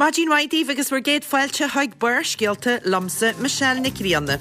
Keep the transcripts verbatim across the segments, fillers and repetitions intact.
Maidin mhaith daoibh agus bhur gcéad fáilte chuig Barrscéalta liomsa Michelle Nic Grianna.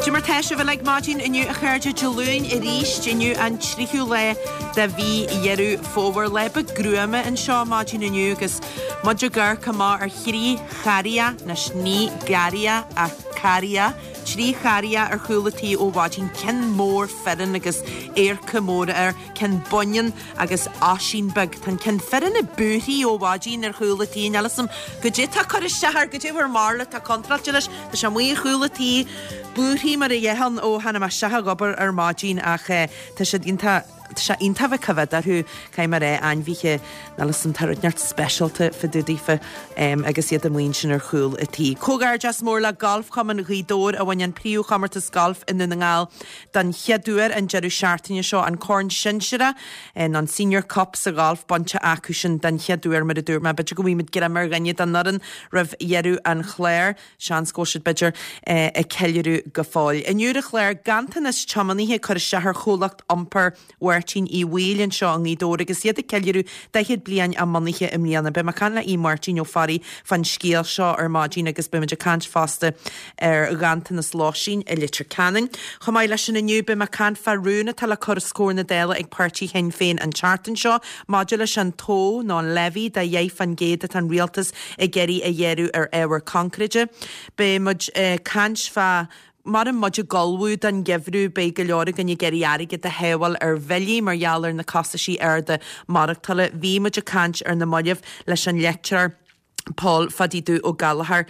Cad é mar tá sibh uilig maidin inniu a chairde Dé Luain arís inniu an tríú lá de mhí Dheireadh Fómhair. Lá beag gruama anseo maidin inniu agus muid ag amharc amach ar thrí charria, anois ní garraithe ach carria, trí charria ar chúl a tí ó mhaidin, ceann mór fireann agus adharca móra air, ceann baineann agus Oisín beag. Tá an ceann fireann ag búirthigh ó mhaidin ar chúl a tí, níl 'fhios a'm goidé tá ag cur isteach air, goidé bhur mbarúil atá contráilte leis, tá sé amuigh ar chúl a tí, búirthigh mar a dhéarfainn ó tháinig mé isteach ag obair ar maidin ach tá siad iontach Tá sé iontach bheith coimhéad orthu, caithfidh mé a rá, ainmhithe, níl 'fhios a'm, tá rud inteacht speisialta fá dtaobh daofa agus iad amuigh ansin ar chúl a tí. Comhghairdeas mór le Galfchumann Ghaoth Dobhair a bhain an príomhchomórtas gailf i nDún na nGall den chéad uair an deireadh seachtaine seo, an Corn Sinsearach nó an Senior Cup sa ghalf bainte acu sin den chéad uair mar a dúirt mé. B'fhéidir go bhfaighimid greim ar dhuine den fhoireann roimh dheireadh an chláir, seans go bhfuil siad b'fhéidir ag ceiliúradh go fóill. Inniu ar an chlár, ganntanas tiománaithe ag cur isteach ar chomhlacht iompair Mháirtín Uí Bhaoill anseo i nGaoth Dobhair agus iad ag ceiliúradh daichead bliain a mbunaithe i mbliana. Beidh mé ag caint le Aodh Máirtín Ó Fearraigh fán scéal seo ar maidin agus beimid ag caint fosta ar ghanntanas lóistín i Leitir Ceanainn. Chomh maith leis sin inniu beidh mé ag caint fá rún atá le cur os comhair na Dála ag páirtí Shinn Féin an tseachtain seo maidir leis an togha nó an levy de dheich fán gcéad atá an rialtas ag iarraidh a ghearradh ar ábhar concréide. Beidh muid ag caint fá Mar muid ag ullmhú don gheimhreadh, beidh go leor againn ag iarraidh airgead a shábháil ar bhillí mar gheall ar na costaisí arda maireachtála. Bhí muid ag caint ar na mallaibh leis an leictreoir Paul Phadaí Dubh Ó Gallchóir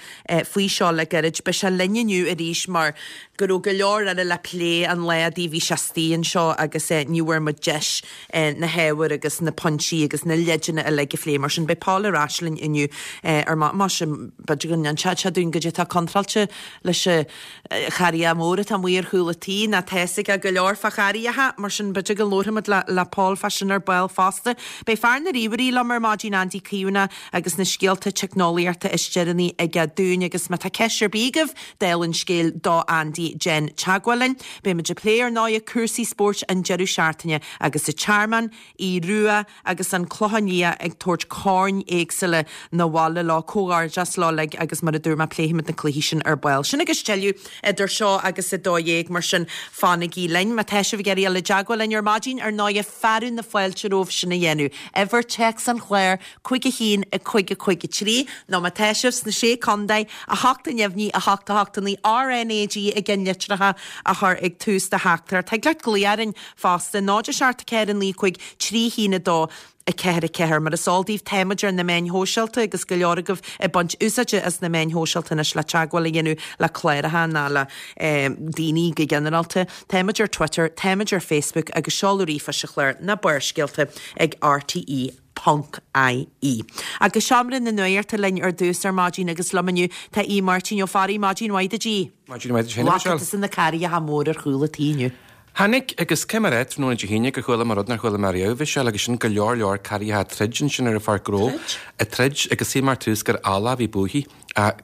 faoi seo le gairid. Beidh sé linn inniu arís mar go raibh go leor eile le plé an lá a bhí sé istigh anseo agus ní bhfuair muid deis na hábhair agus na pointí agus na leideanna uilig a phlé. Mar sin beidh Paul ar ais linn inniu ar más b'fhéidir go n-inseodh sé dúinn goidé atá contráilte leis an charria mór atá amuigh ar chúl a tí ná tá 'fhios aige go leor fá charriacha, mar sin b'fhéidir go labharfaimid le le Paul fá sin ar ball fosta. Beidh fear na ríomhairí liom ar maidin Andy Caomhánach agus na scéalta teicneolaíochta is deireanaí aige dúinn agus má tá ceist ar bith agaibh dála an scéil do Andy déan teagmháil linn. Beimid ag plé ar ndóigh cúrsaí spóirt an deireadh seachtaine agus an Tearmann, Aodh Rua agus an Clochán Liath ag tabhairt coirn éagsúla 'na bhaile leo. Comhghairdeas leo uilig agus mar a dúirt mé pléifimid na cluichí sin ar ball. Sin agus tuilleadh idir seo agus a dó dhéag mar sin fanaigí linn. Má tá sibh ag iarraidh dul i dteagmháil linn ar maidin ar ndóigh fearadh na fáilte romhaibh sin a dhéanamh. Uimhir téacs an chláir, cúig a haon, a cúig a cúig a trí, nó má tá sibh sna Sé Contae, a hocht a neamhní, a hocht a hocht a naoi, RnaG i gceannlitreacha a chur ag tús do theachtaireacht. Thig leat glaoch orainn fosta, náid a seacht a ceathair a naoi cúig trí haon a dó a ceathair a ceathair. Mar is eol daoibh táimid ar na meáin shóisialta agus go leor agaibh ag baint úsáide as na meáin shóisialta anois le teagmháil a dhéanamh le cláracha ná le daoine go ginearálta. Táimid ar Twitter, táimid ar Facebook agus seoladh ríomhphoist an chláir ná Barrscéalta ag RTÉ ponc IE. Agus Seomra na Nuachta linn ar dtús ar maidin agus liom inniu tá Aodh Máirtín Ó Fearraigh. Maidin mhaith duit a Aoidh. Maidin mhaith duit féin, a Bhfaca Michelle. tusa na carriacha móra ar chúl a tí inniu? Tháinig, agus cé mar é, tráthnóna Dé hAoine gur chuala mé rud nár chuala mé riamh, Michelle, agus sin go leor leor carriacha ag troid ansin ar an pháirc ghnó. Troid? Ag troid, agus shíl mé ar tús gur eallach a bhí buaithe.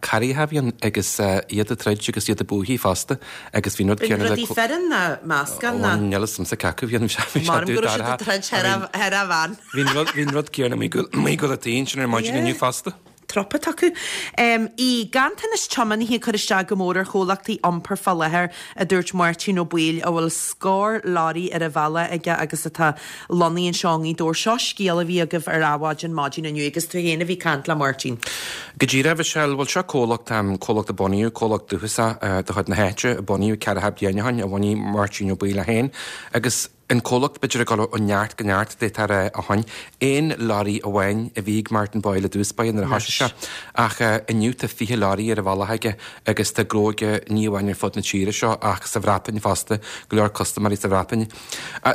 Carriacha a bhí ann agus iad ag troid agus iad ag buachaidh fosta agus bhí an rud B'in céanna le rudaí fireann ná meascán Ó ná? níl 'fhios a'msa cé acu bhí an bhí sé Maram dubh go raibh siad dorcha. ag troid thar a thar a bhean. Bhí an rud bhí an rud céanna amuigh amuigh ag gabháil a tí ansin ar maidin Yeah. inniu fosta. Trup atá acu. Bhí ganntanas tiománaithe ag cur isteach go mór ar chomhlachtaí iompair fá láthair, a dúirt Máirtín Ó Baoill, a bhfuil scór leoraí ar a bhealach aige agus atá lonnaithe anseo i ngaoth Dobhair. Seo scéal a bhí agaibh ar Adhmhaidin maidin inniu agus tú féin a bhí ag caint le Máirtín. Go díreach, Michelle, bhuel seo comhlacht, comhlacht a bunaíodh, comhlacht dúchasach de chuid na háite a bunaíodh ceathracha bliain ó shin, a bhunaigh Máirtín Ó Baoill é féin agus, An comhlacht, b'fhéidir, ag dul ó neart go neart, d'fhéadfá a rá, ó shin. Aon leoraí amháin a bhí ag Martin Boyle i dtús báire nuair a thoisigh sé, ach inniu tá fiche leoraí ar a bhealach aige agus tá gnó aige ní amháin ar fud na tíre seo ach sa Bhreatain fosta, go leor custaiméirí sa Bhreatain.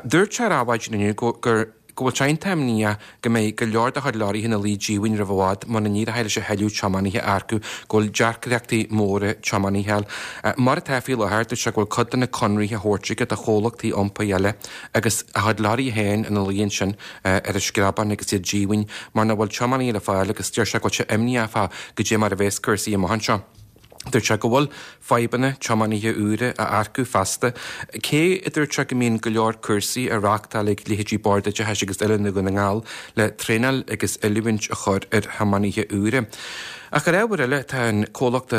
Dúirt sé ar Adhmhaidin inniu gur go bhfuil sé iontach imníoch go mbeidh go leor dá chuid leoraithe ina luí díomhaoin roimh i bhfad muna n-éireoidh leis a thuilleadh tiománaithe a earcú, go bhfuil deacrachtaí móra tiománaithe a fháil. Mar atá faoi láthair, dúirt sé go bhfuil cuid de na conraithe á thabhairt aige do chomhlachtaí iompair eile agus a chuid leoraithe féin ina luí ansin ar an screabán agus iad díomhaoin mar nach bhfuil tiománaithe le fáil agus deir sé go bhfuil sé imníoch fá goidé mar a bheas cúrsaí amach anseo. Dúirt sé go bhfuil fadhbanna tiománaithe úra a earcú feasta, cé a dúirt sé go mbíonn go leor cúrsaí á reáchtáil ag leithéidí Bord Oideachais agus Oiliúna Dhún na nGall le traenáil agus oiliúint a chur ar thiománaithe úra. Ach ar ábhar eile, tá an comhlacht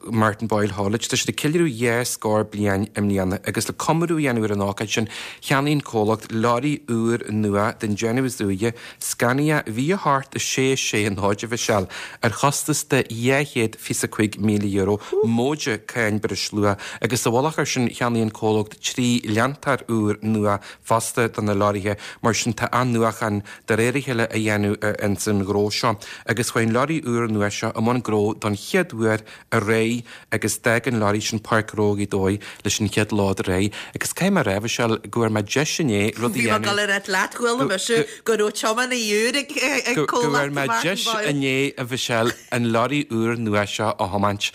Martin Boyle Haulage, tá siad ag ceiliúradh dhá scór bliain i mbliana agus le comóradh a dhéanamh ar an ócáid sin, cheannaigh an comhlacht leoraí úr nua den déanamh is úire, Scania V a hocht a sé sé náid a Mhichelle, ar chostas de dhá chéad fiche cúig míle euro, móide cáin breisluacha, agus sa mhullach air sin cheannaigh an comhlacht trí leantóir úr nua fosta do na leoraithe, mar sin tá athnuachan de réir a chéile á dhéanamh ins an ghnó seo. Agus chuaigh an leoraí úr nua seo i mbun gnó don chéad uair aréir agus d'fhág an leoraí sin Páirc Ghnó Ghaoth Dobhair leis an chéad lá d'aréir. Agus caithfidh mé a rá, a Mhichelle, go bhfuair mé deis inné rud a Bhí mé ag dhéanamh. dul a rá leat, chuala mise go raibh tiománaí úr ag Go bhfuair comhlacht mé Martin deis Boyle. inné, a Mhichelle, an leoraí úr nua seo a thiomáint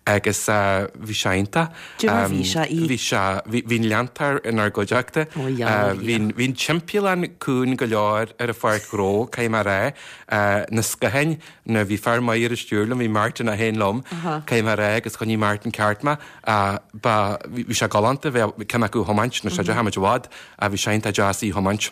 agus bhí sé iontach. Cad é mar bhí sé í? Bhí sé, bhí bhí an leantóir inár gcuideachta. Ó, yeah, Bhí bhí an timpeallán cúng go leor ar an pháirc ghnó, caithfidh mé a rá. Na scátháin, na bhí fear maith ar an stiúir liom, bhí Martin é féin liom, caithfidh mé a rá, agus choinnigh Martin ceart mé. Ba, bhí sé galánta bheith ceann acu a thiomáint, nó sé deich i bhfad, bhí sé iontach deas í a thiomáint.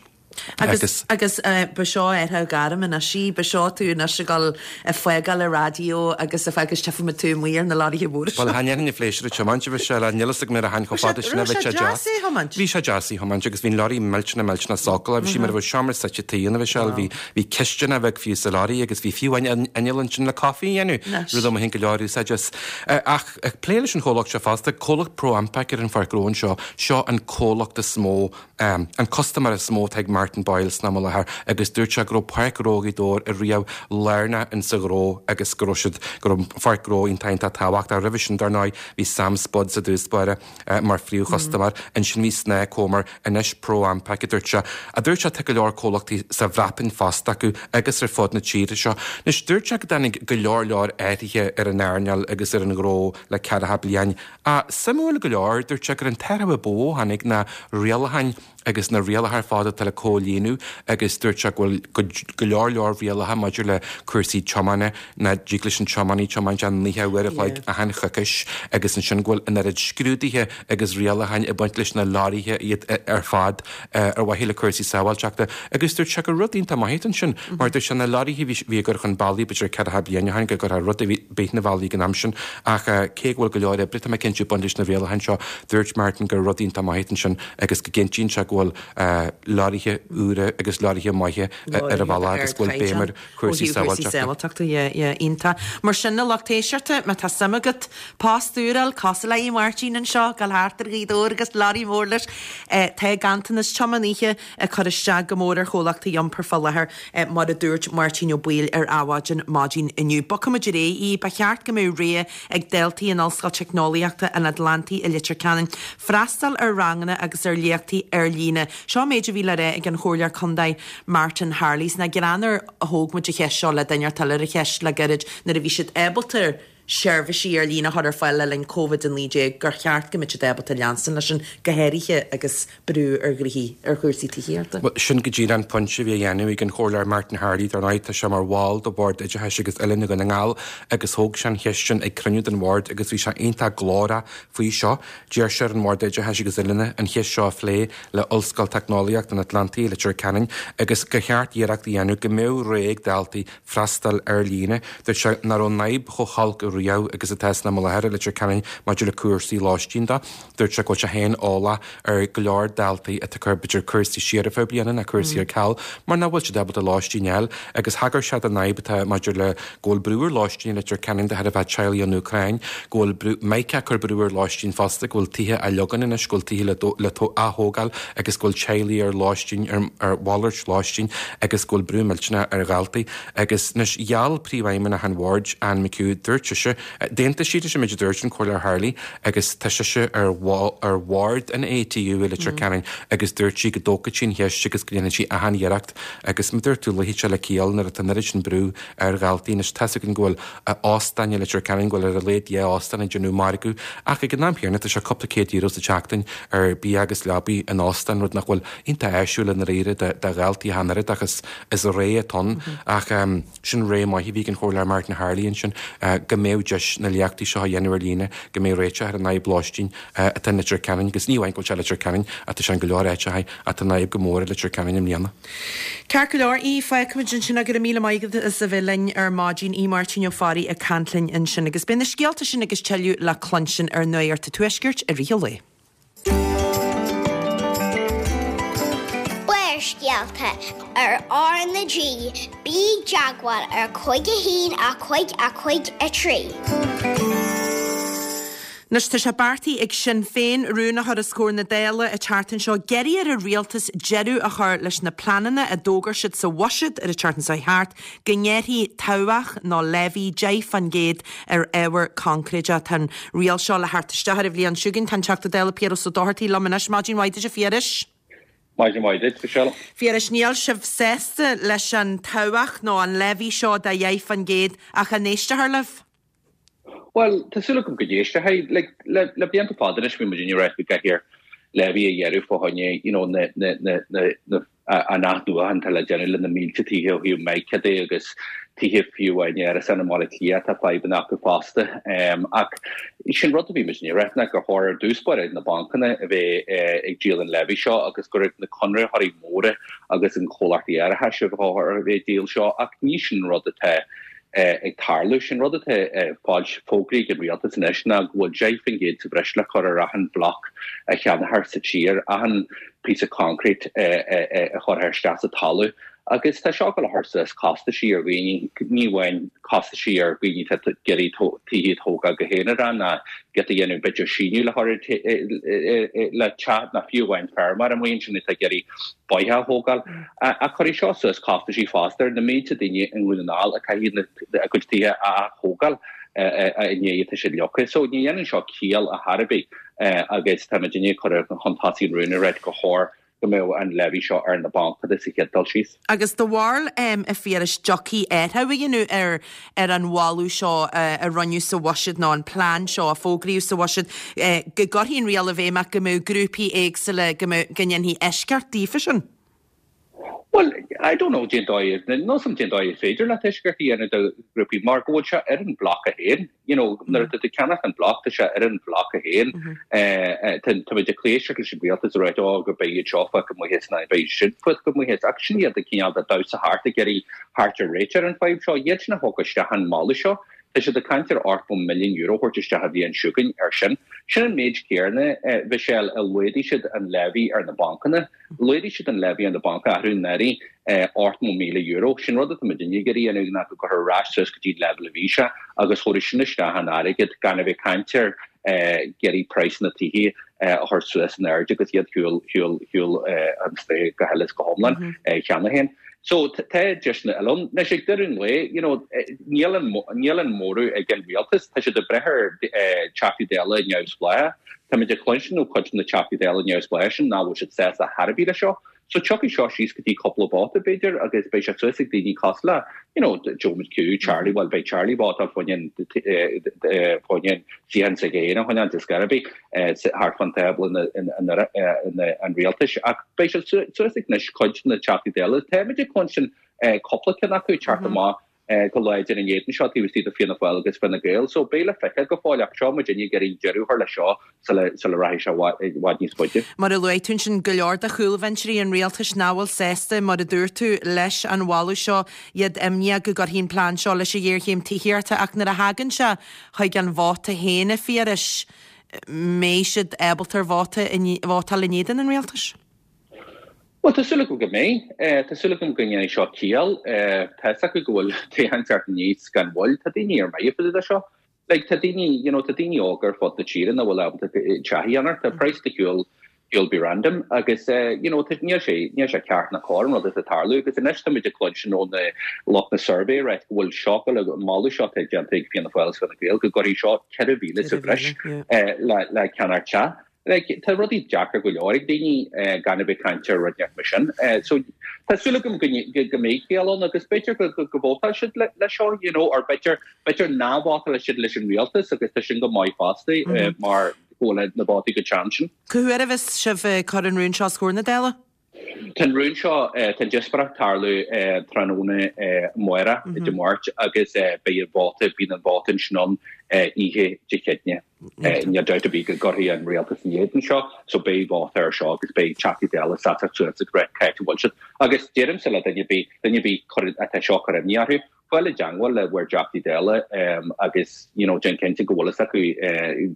Agus agus ba seo ar gairm anois í, ba seo tú anois ag dul ag fágáil an raidió agus a agus tchífimid tú amuigh ar na leoraithe móra Well chan dhéanfainn an phléisiúr a tiomáint a Mhichelle, níl fhios agam ar a tháinig chomh fada sin a bheith sé deas. é thiomáint? Bhí sé deas í thiomáint agus bhí an leoraí millteanach millteanach sócúil, bhí sí mar a bheadh seomra suite tí ann a Mhichelle, bhí bhí cisteanach bheag fiú sa leoraí agus bhí fiú amháin inneall ansin le caife a dhéanamh, rud a mbainfinn go leor úsáid as. Ach ag plé leis an chomhlacht seo fosta, comhlacht Pro Ampac ar an pháirc ghnó anseo, seo an comhlacht is mó, an custaiméir is mó atá ag Martin Boyle san am i láthair agus dúirt sé go raibh Páirc Ghnó Ghaoth Dobhair riamh lárnach insa ghnó agus go raibh siad go raibh Páirc Ghnó iontach iontach tábhachtach. Roimhe sin dar ndóigh bhí Sam Spud sa dtús báire mar phríomhchustaiméir, ansin bhí Snáth Comer, anois Pro Ampac a dúirt sé. A dúirt sé tá go leor comhlachtaí sa Bhreatain fosta acu agus ar fud na tíre seo. Anois dúirt sé go dtáinig go leor leor athruithe ar an earnáil agus ar an ghnó le ceathracha bliain. A suimiúil go leor dúirt sé gur an t-athrú ba mhó a tháinig na rialacháin agus na rialacha ar fad atá le comhlíonadh agus dúirt sé go bhfuil go leor leor rialacha maidir le cúrsaí tiomána nach dtig leis an tiománaí tiomáint ach naocha uair a chloig achan choicís agus ansin go bhfuil an oiread scrúduithe agus rialacháin ag baint leis na leoraithe iad ar fad ar mhaithe le cúrsaí sábháilteachta agus dúirt sé gur rud iontach maith ansin mar dúirt sé na leoraithe bhí ag cur chun bealaigh b'fhéidir ceathracha bliain ó shin go gcuirfeadh rud ar bith na bhealaí ag an am sin ach cé go bhfuil go leor oibre tá mé cinnte ag baint leis na rialacháin seo dúirt Martin gur rud iontach maith ansin agus go gcinntíonn sé go bhfuil leoraithe úra agus leoraithe maithe ar an bhealach agus go bhfuil béim ar chúrsaí sábháilteachta. Iontach. Mar sin a lucht éisteachta má tá suim agat post úr a fháil cosúil le Máirtín anseo gabháil thart ar Ghaoth Dobhair agus leoraí mór leis. Tá ganntanas tiománaithe ag cur isteach go mór ar chomhlachtaí iompair fá láthair mar a dúirt Máirtín Ó Baoill ar Adhmhaidin maidin inniu. Bogfaimid ar aghaidh ba cheart go mbeadh rogha ag daltaí in Ollscoil Teicneolaíochta an Atlantaigh i Leitir Ceanainn freastal ar ranganna agus ar léachtaí ar líne. Seo méid a bhí le rá ag an Chomhairleoir Contae Martin Harley sna greanar a thóg muid an cheist seo le duine eile ar an cheist le gairid nuair a bhí siad ábalta seirbhísí ar líne a chur ar fáil le linn COVID a naoi déag gur cheart go mbeadh siad ábalta leanstan leis sin go háirithe agus brú ar ghraithí ar chúrsaí tithíochta. Sin go díreach an pointe a bhí á dhéanamh ag an Chomhairleoir Martin Harley dar ndóigh tá sé mar bhall de Bhord Oideachais agus Oiliúna Dhún na nGall agus thóg sé an cheist sin ag cruinniú den bhord agus bhí sé iontach glórach faoi seo. D'iarr sé ar an Bhord Oideachais agus Oiliúna an cheist seo a phlé le Ollscoil Teicneolaíocht an Atlantaigh Leitir Ceanainn agus gur cheart iarracht a dhéanamh go mbeadh rogha ag daltaí freastal ar líne. Dúirt sé nach raibh an fhadhb chomh holc riamh agus atá san am i láthair i Leitir Ceanainn maidir le cúrsaí lóistín de. Dúirt sé go bhfuil sé féin eolach ar go leor daltaí atá ag cur b'fhéidir cúrsaí siar ar feadh bliana na cúrsaí ar ceal, mar nach bhfuil siad ábalta lóistín a fháil agus thagair sé don fhadhb atá maidir le go bhfuil brú ar lóistín i Leitir Ceanainn de thairbhe teaghlaigh ón Úcráin, go bhfuil brú Mike cur brú ar lóistín fosta, go bhfuil tithe á leagan anois, go bhfuil tithe le le athógáil agus go bhfuil teaghlaigh ar lóistín ar, ar mhalairt lóistín agus go bhfuil brú millteanach ar dhaltaí agus anois gheall príomhfheidhmeannach an bhoird Anne McHugh dúirt sise sise. D'aontaigh siad leis an méid a dúirt an Comhairleoir Harley agus tá sise ar ar bhord an ATU i Leitir Ceanainn agus dúirt sí go dtógfaidh sí an cheist agus go ndéanfaidh sí achan iarracht agus mar a dúirt tú luífidh sé le ciall nuair atá an oiread sin brú ar dhaltaí anois tá's againn go bhfuil óstáin i Leitir Ceanainn go bhfuil ar a laghad dhá óstán ag déanamh margadh ach ag an am céanna tá sé cúpla céad euro sa tseachtain ar bia agus leabaí in óstán rud nach bhfuil iontach áisiúil i ndáiríre do dhaltaí ach an oiread ach is is rogha atá ann ach sin rogha maith a bhí ag an Chomhairleoir Martin Harley ansin go mbeadh deis na léachtaí seo a dhéanamh ar líne go mbeadh réiteach ar an fhadhb lóistín atá i Leitir Ceanainn agus ní amháin go bhfuil sé i Leitir Ceanainn ach tá sé in go leor áiteacha ach tá an fhadhb go mór i Leitir Ceanainn i mbliana. Ceart go leor, Aodh, fágfaimid ansin go raibh míle maith agat as a bheith linn ar maidin, Aodh Máirtín Ó Fearraigh ag caint linn ansin agus beidh na scéalta sin agus tuilleadh le cluinstin ar Nuacht an Tuaiscirt i rith an lae. Barrscéalta ar R na G, bí i dteagmháil ar cúig a haon a cúig a cúig a trí. Anois tá sé beartaithe ag Sinn Féin rún a chur os comhair na Dála an tseachtain seo ag iarraidh ar an rialtas deireadh a chur leis na pleananna a d'fhógair siad sa bhuiséad ar an tseachtain seo thart go ngearrfaí tobhach nó levy deich faoin gcéad ar ábhar coincréideach. Tá an riail seo le theacht isteach ar an bhliain seo chugainn. Tá an Teachta Dála Piaras Ó Dochartaigh liom anois. Maidin mhaith duit a Phiarais. Maidin mhaith duit, Michelle. Phiarais, níl sibh sásta leis an tobhach nó an levy seo de dheich faoin gcéad ach an éistfear libh? Bhuel, tá súil agam go n-éistfidh. Like, le, le blianta fada anois bhí muid ag rá go gcaithfear levy a ghearradh fá choinne, you know, na, na, na, na, na, an athnuachan atá le déanamh le na mílte tithe ó thaobh mica de agus tithe fiú amháin árasáin i mBaile Átha Cliath tá fadhbanna acu fosta. Um, ach sin rud a bhí muid ag rá ná gur chóir ar dtús báire na bancanna a bheith eh, ag díol an levy seo agus gur ag na conraitheoirí móra agus an chomhlachtaí árachais a bheith ag díol seo ach ní sin rud atá ag tarlú. Sin rud atá fógraithe ag an rialtas anois ná go bhfuil deich faoin gcéad sa bhreis le cur ar achan bhloc a cheannófar sa tír, achan píosa concrete a chuirfear isteach sa talamh. Agus tá seo ag dul a chur suas costaisí ar dhaoine, ní amháin costaisí ar dhaoine atá ag iarraidh tithe a thógáil go haonarach ná giota a dhéanamh b'fhéidir síneadh le chur le teach ná fiú amháin feirmeoir amuigh ansin atá ag iarraidh bóitheach a thógáil. Ach cuirfidh seo suas costaisí fosta ar na mílte daoine i nDún na nGall a caithfidh a gcuid tithe a ath-thógáil i ndiaidh atá siad leagtha. So ní dhéanann seo ciall ar chor ar bith agus tá muidinne ag cur chun tosaigh an rún ag ráit gur chóir go mbeadh an levy seo ar na bancanna sa chéad dul síos. Agus do bharúil a Phiarais dtiocfaí athrú a dhéanamh ar ar an mholadh seo a rinneadh sa bhuiséad nó an plean seo a fógraíodh sa bhuiséad go gcuirfí an riail i bhfeidhm ach go mbeadh grúpaí éagsúla go mbeadh go ndéanfaí eisceacht daofa sin? Bhuel, I don't know cén dóigh, níl a fhios agam cén dóigh is féidir leat eisceacht a dhéanamh do ghrúpaí mar go bhfuil sé ar an bhloc é féin. You know, nuair atá tú ag ceannach an bloc, tá sé ar an bhloc é féin. Tá muid ag éisteacht leis an rialtas ag ráit, oh, go beidh iad seo fágtha amuigh as ná beidh siad fágtha amuigh as. Ach sin iad ag cineál de damhsa thart ag iarraidh theacht ar réiteach ar an fadhb seo. Iad sin a thug isteach an moladh seo. Tá siad ag caint ar ochtó milliún euro a thabhairt isteach an bhliain seo chugainn ar sin. Sin an méid céanna, Mhichelle, a laghdaigh siad an levy ar na bancanna. Laghdaigh siad an levy ar na bancanna athrú anuraidh ochtó míle euro. Sin rud atá muidinne ag iarraidh a dhéanamh ná go gcuirfear ar ais suas go dtí an leibhéal a bhí sé agus thabharfaidh sin isteach an airgead gan a bheith ag caint ar ag iarraidh praghsanna tithe a chur suas in airde agus iad shiúl shiúl shiúl an strae go huile is go hiomlán cheana féin. So tá deiseanna eile ann. Anois ag deireadh an lae, you know, níl an níl an móramh ag an rialtas, tá siad ag brath ar Teachtaí Dála neamhspleácha. Táimid ag cluinstin ó chuid de na Teachtaí Dála neamhspleácha sin nach bhfuil siad sásta chor ar bith leis seo. So tiocfaidh seo síos go dtí cúpla vóta b'fhéidir agus beidh sé suas ag daoine cosúil le, you know, Joe McHugh, Charlie, bhuel beidh Charlie vótáil fá choinne fá choinne suíochán s'aige féin a choinneáil de scor ar bith thart fán tábla an rialtais ach beidh sé suas ag anois cuid de na Teachtaí Dála. Táimid ag cluinstin cúpla ceann acu ag teacht amach go láidir in éadan seo taobh istigh de Fianna Fáil agus Fine Gael. So beidh le feiceáil go fóill ach seo muidinne ag iarraidh deireadh a chur leis seo sula sula rachaidh sé i bhfad níos faide. Mar a luaigh tú ansin, go leor de chúlbhinseoirí an rialtais nach bhfuil sásta, mar a dúirt tú, leis an mholadh seo, iad imníoch go gcuirfidh an plean seo leis an ghéarchéim tithíochta ach nuair a thagann sé chuig an vóta féin, a Phiarais, mbeidh siad ábalta ar vóta vótáil in éadan an rialtais? Bhuel, tá súil agam go mbeidh. Tá súil agam go ndéanfaidh seo ciall. Tá fhios acu go bhfuil toghchán ag teacht aníos gan mhoill. Tá daoine ar mire fá dtaobh de seo. Like, tá daoine, you know, tá daoine óga ar fud na tíre nach bhfuil ábalta teach a cheannach. Tá praghas de shiúl you'll be random agus uh, you know níl sé níl sé ceart ná cóir an rud atá ag tarlú agus anois táimid ag cluinstin ó na lucht na survey right go bhfuil seo le moladh seo déanta ag Fianna Fáil Fine Gael go gcuirfidh seo ceithre mhíle sa bhreis eh, le le ceannacht teach. Like, tá rudaí deacair go leor ag daoine eh, gan a bheith caint ar rud mar sin. Eh, so tá súil agam go go go mbeidh ciall ann agus b'fhéidir go go go vótáil siad le le seo you know or b'fhéidir b'fhéidir nach vótáil siad leis an rialtas agus tá sin go maith fosta eh, mar go bhfuil na vótaí go teann sin. Cá huair a bheas sibh ag cur an rún seo os comhair na Dála? Tá an rún seo tá an díospóireacht tarlú tráthnóna amárach Dé Máirt agus beidh an vóta bíonn an vóta ansin ann oíche Dé Céadaoine. Níl dabht ar bith go gcuirfidh an rialtas in éadan seo, so beidh vóta ar seo agus beidh Teachtaí Dála seasamh suas ag rá cá háit a bhfuil siad. Agus deirimse le duine ar bith duine ar bith atá seo ag cur imní orthu, fáil i dteagmháil le bhur dTeachtaí Dála agus you know déan cinnte go bhfuil fhios acu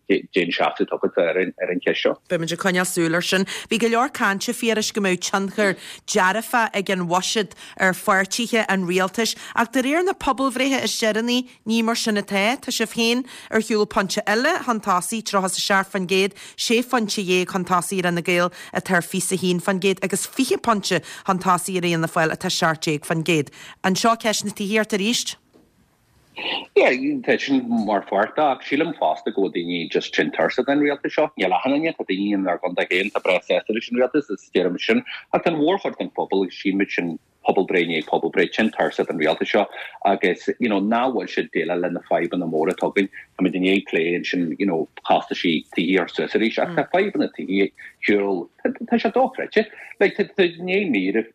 cén seasamh atá agat ar an ar an cheist seo. Beimid ag coinneáil súil air sin. Bhí go leor cainte Phiarais go mbeadh tionchar dearfach ag an bhuiséad ar pháirtithe an rialtais, ach de réir na pobalbhreithe is deireanaí ní mar sin atá. Tá sibh féin ar shiúl pointe eile chun tosaigh tríocha a seacht faoin gcéad, sé phointe dhéag chun tosaigh ar Fhine Gael atá ar fiche a haon faoin gcéad agus fiche pointe chun tosaigh ar Fhianna Fáil atá seacht déag faoin gcéad. Anseo ceist na tithíochta arís? Yeah, tá sin mar pháirt ach sílim fosta go bhfuil daoine just tinn tuirseach den rialtas seo. Níl achan duine tá daoine inár gcontae féin atá breá sásta leis an rialtas is deirim sin ach an mhórchuid den phobal agus símid sin pobalbhreith i ndiaidh pobalbhreith tinn tuirseach den rialtas seo agus you know, nach bhfuil siad déileáil le na fadhbanna móra atá againn. Táimid i ndiaidh plé ansin you know, costaisí tithíochta suas arís ach tá fadhbanna tithíochta tá sé dochreidte. Like tá tá ní mír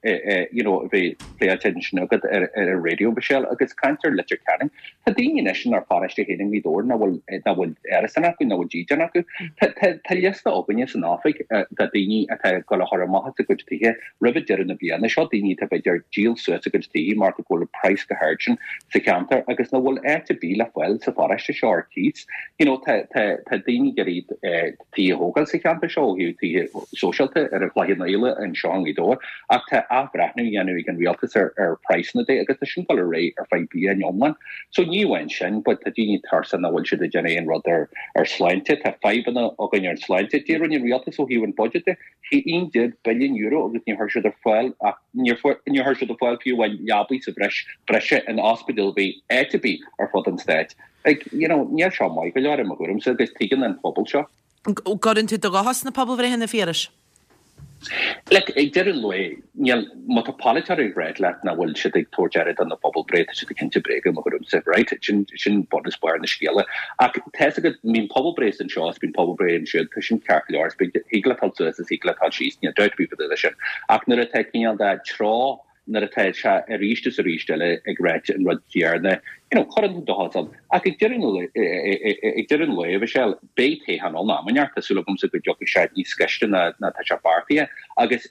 you know, a bheith pléáilte ansin agat ar ar an raidió Michelle agus caint ar Leitir Ceanainn. Tá daoine anois inár bparóiste féin i nGaoth Dobhair nach bhfuil nach bhfuil árasán acu nach bhfuil dídean acu. Tá tá tá liosta againne san oifig de daoine atá ag dul a chur amach as a gcuid tithe roimh deireadh na bliana seo daoine atá b'fhéidir díol suas a gcuid tithe mar go bhfuil praghas go hard sin sa cheantar agus nach bhfuil áit ar bith le fáil sa pharóiste seo ar cíos. You know, tá tá tá daoine ag iarraidh tithe a thógáil sa cheantar seo ó thaobh tithe sóisialta ar an Chloich Cheann Fhaola anseo i nGaoth Dobhair ach tá athbhreithniú á dhéanamh ag an rialtas ar ar praghsanna de agus tá sin dul ar aghaidh ar feadh bliain iomlán. So ní amháin sin, but tá daoine tuirseach nach bhfuil siad ag déanamh aon rud ar ar sláinte, tá fadhbanna againn ar sláinte. Cad a rinne an rialtas ó thaobh an budget de haon déag billiún euro agus ní chuir siad ar fáil ach níor níor chuir siad ar fáil fiú amháin leabaí sa bhreis breise in ospidéal ar bith áit ar bith ar fud an stáit. Like, you know, níl seo maith go leor i mo thuairimse agus tuigeann an pobal seo. Gcuireann tú do dhochar sna pobalbhreitheanna Phiarais? Like, ag deireadh an lae, níl má tá polaiteoir ag rá leat nach bhfuil siad ag tabhairt aire do na pobalbhreith, tá siad ag inse bréaga i mo thuairimse, right? Sin sin bunús barr na scéala. Ach tá fhios agat bíonn pobalbhreith anseo is bíonn pobalbhreith ansiúd, tá sin ceart go leor, is thig leat dul suas is thig leat dul síos, níl dabht ar bith faoi sin. Ach nuair atá cineál de treo nuair atá sé arís is arís eile ag rá an rud céanna, you know, cuireann tú do ann. Ach ag deireadh ag deireadh an lae Michelle, beidh toghchán ann am inteacht, tá súil agamsa go dtiocfaidh sé níos gaiste ná ná tá sé beartaithe agus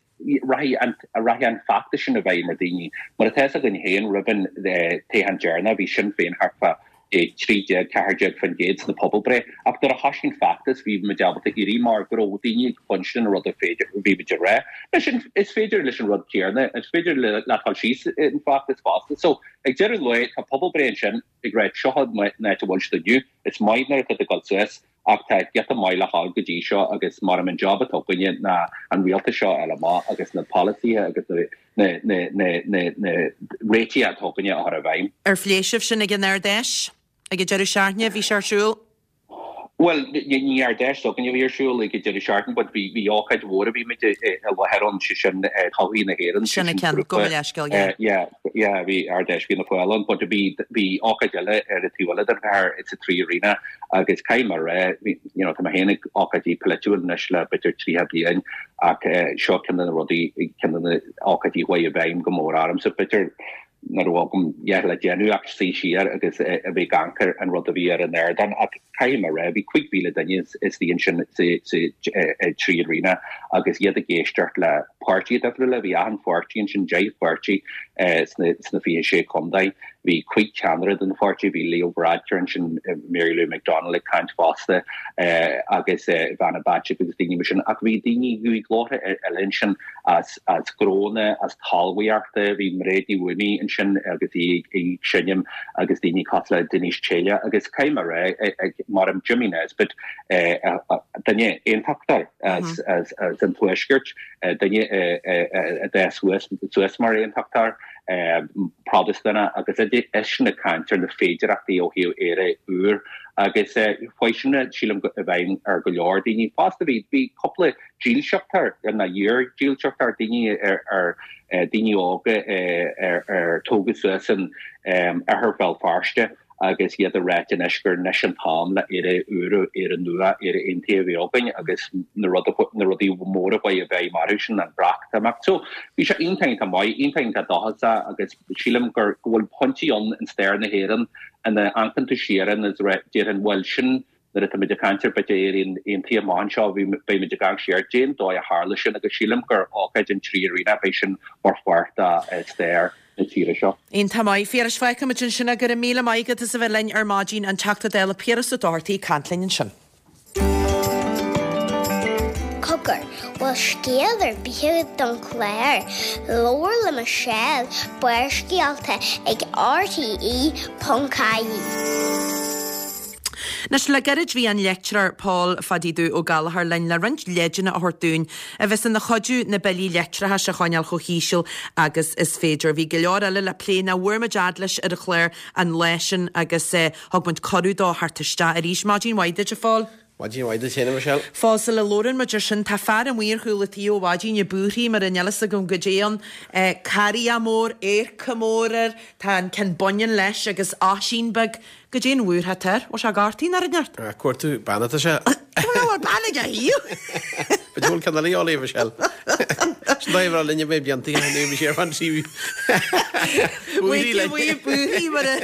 rachaidh an rachaidh an feachtas sin i bhfeidhm ar daoine. Mar atá fhios againn féin roimh an toghchán deireanach bhí Sinn Féin thart fá trí déag ceathair déag faoin gcéad sna pobalbhreith ach nuair a thosaigh an feachtas bhí muid ábalta éirí mar go raibh daoine ag cluinstin an rud a féidir bhí muid ag rá. Leis an is féidir leis an rud céanna is féidir le le dul síos an feachtas fosta. So ag deireadh an lae tá pobalbhreith ansin ag rá seo an áit a bhfuil siad inniu, is maith nuair atá ag dul suas ach tá giota maith le dhul go dtí seo agus mar an job atá againne ná an rialtas seo a fháil amach agus na polasaithe agus na na na na na na réitigh atá againne a chur i bhfeidhm. Ar phléigh sibh sin ag an Ard-Fheis? Ag an deireadh seachtaine bhí sé ar siúl? Well, ní Ard-Fheis s'againne a bhí ar siúl ag an deireadh seachtaine, but bhí bhí ócáid mhór a bhí muid i láthair ann sé sin todhchaí na hÉireann Sin an ceann go leithscéal, yeah. Yeah, yeah, bhí Ard-Fheis Fianna Fáil ann, but bhí bhí ócáid eile ar an taobh eile den chathair sa Three Arena agus caithfidh mé a rá, you know, tá mé féin ag ócáidí polaitiúil anois le b'fhéidir tríocha bliain ach seo ceann de na rudaí ceann de na ócáidí a chuaigh i bhfeidhm go mór ormsa b'fhéidir nach raibh agam a dhath le déanamh ach suí siar agus a bheith ag amharc ar an rud a bhí ar an ardán ach caithfidh mé a rá bhí cúig mhíle duine istigh ansin sa Three Arena agus iad ag éisteacht le páirtithe difriúla bhí achan pháirtí ansin deich pháirtí sna sna fiche sé contae Bhí cúig cheannaire den pháirtí, bhí Leo Varadkar ansin, Mary Lou McDonald ag caint fosta agus Ivana Bacik agus daoine mar sin ach bhí daoine, bhí glórtha eile ansin as as gnónna, as talmhaíochta, bhí Mairéad Ní Mhaonaigh ansin agus í ag seinm agus daoine cosúil le Denise Taylor agus caithfidh mé a rá mar an Jimmy Nesbitt duine aontachtóir as as as an Tuaisceart, duine a d'fhás suas suas mar aontachtóir Protastúnach agus eisean ag caint ar na féidearthachtaí ó thaobh Éire úr agus chuaigh sin sílim i bhfeidhm ar go leor daoine. Fosta bhí bhí cúpla dílseachtóir nó iar-dhílseachtóir, daoine ar ar daoine óga ar ar tógadh suas in oirthear Bhéal Feirste agus iad ag ráit anois gur anois an t-am le Éire úr, Éire nua, Éire aontaithe a bheith againn agus na na rudaí móra a bheidh mar sin an Breatimeacht. So bhí sé iontach iontach maith, iontach iontach dóchasach agus sílim gur go bhfuil pointí ann in stair na hÉireann ina amharcann tú siar ann is déarfainn bhuel sin nuair atá muid ag caint ar b'fhéidir Éire aontaithe amach anseo beidh muid ag amharc siar cén dóigh a tharla sin agus sílim gur ócáid an Trí-Aireachta beidh sin mar pháirt de stair na tíre seo. Iontach maith. Phiarais, fágfaimid ansin é. Go raibh míle maith agat as a bheith linn ar maidin, an Teachta Dála Piaras Ó Dochartaigh ag caint linn ansin. Cogar, bhfuil scéal ar bith agat don chlár? Labhair le Michelle, Barrscéalta ag RTE ponc ie. Anois le gairid bhí an leictreoir Paul Phadaí Dubh Ó Gallchóir linn le roinnt leideanna a thabhairt dúinn a bheas ina chuidiú na billí leictreachais a choinneáil chomh híseal agus is féidir. Bhí go leor eile le plé nach bhfuair muid fhad leis ar an chlár an lá sin agus thug muid cuireadh dó theacht isteach arís. Maidin mhaith duit, a Phóil. Maidin mhaith duit féin, a Michelle. Phóil, sula labhrann muid ar sin, tá fear amuigh ar chúl an tí ó mhaidin ag búirthigh mar níl fhios agam goidé ann. Carria mór, adharca mór air, tá an ceann baineann leis agus Oisín beag. Goidé an bhuairt atá air? Bhfuil sé gortaithe nó rud inteacht? Ag cuartú bean atá sé. Bhfuil bean ag a thaobh? B'fhéidir go bhfuil ceann eile a dhíobháil, a Michelle. Sin dóigh a raibh linne mé blianta ó shin, bhí sé ar fan trí búirthigh linn. Búirthigh mar a.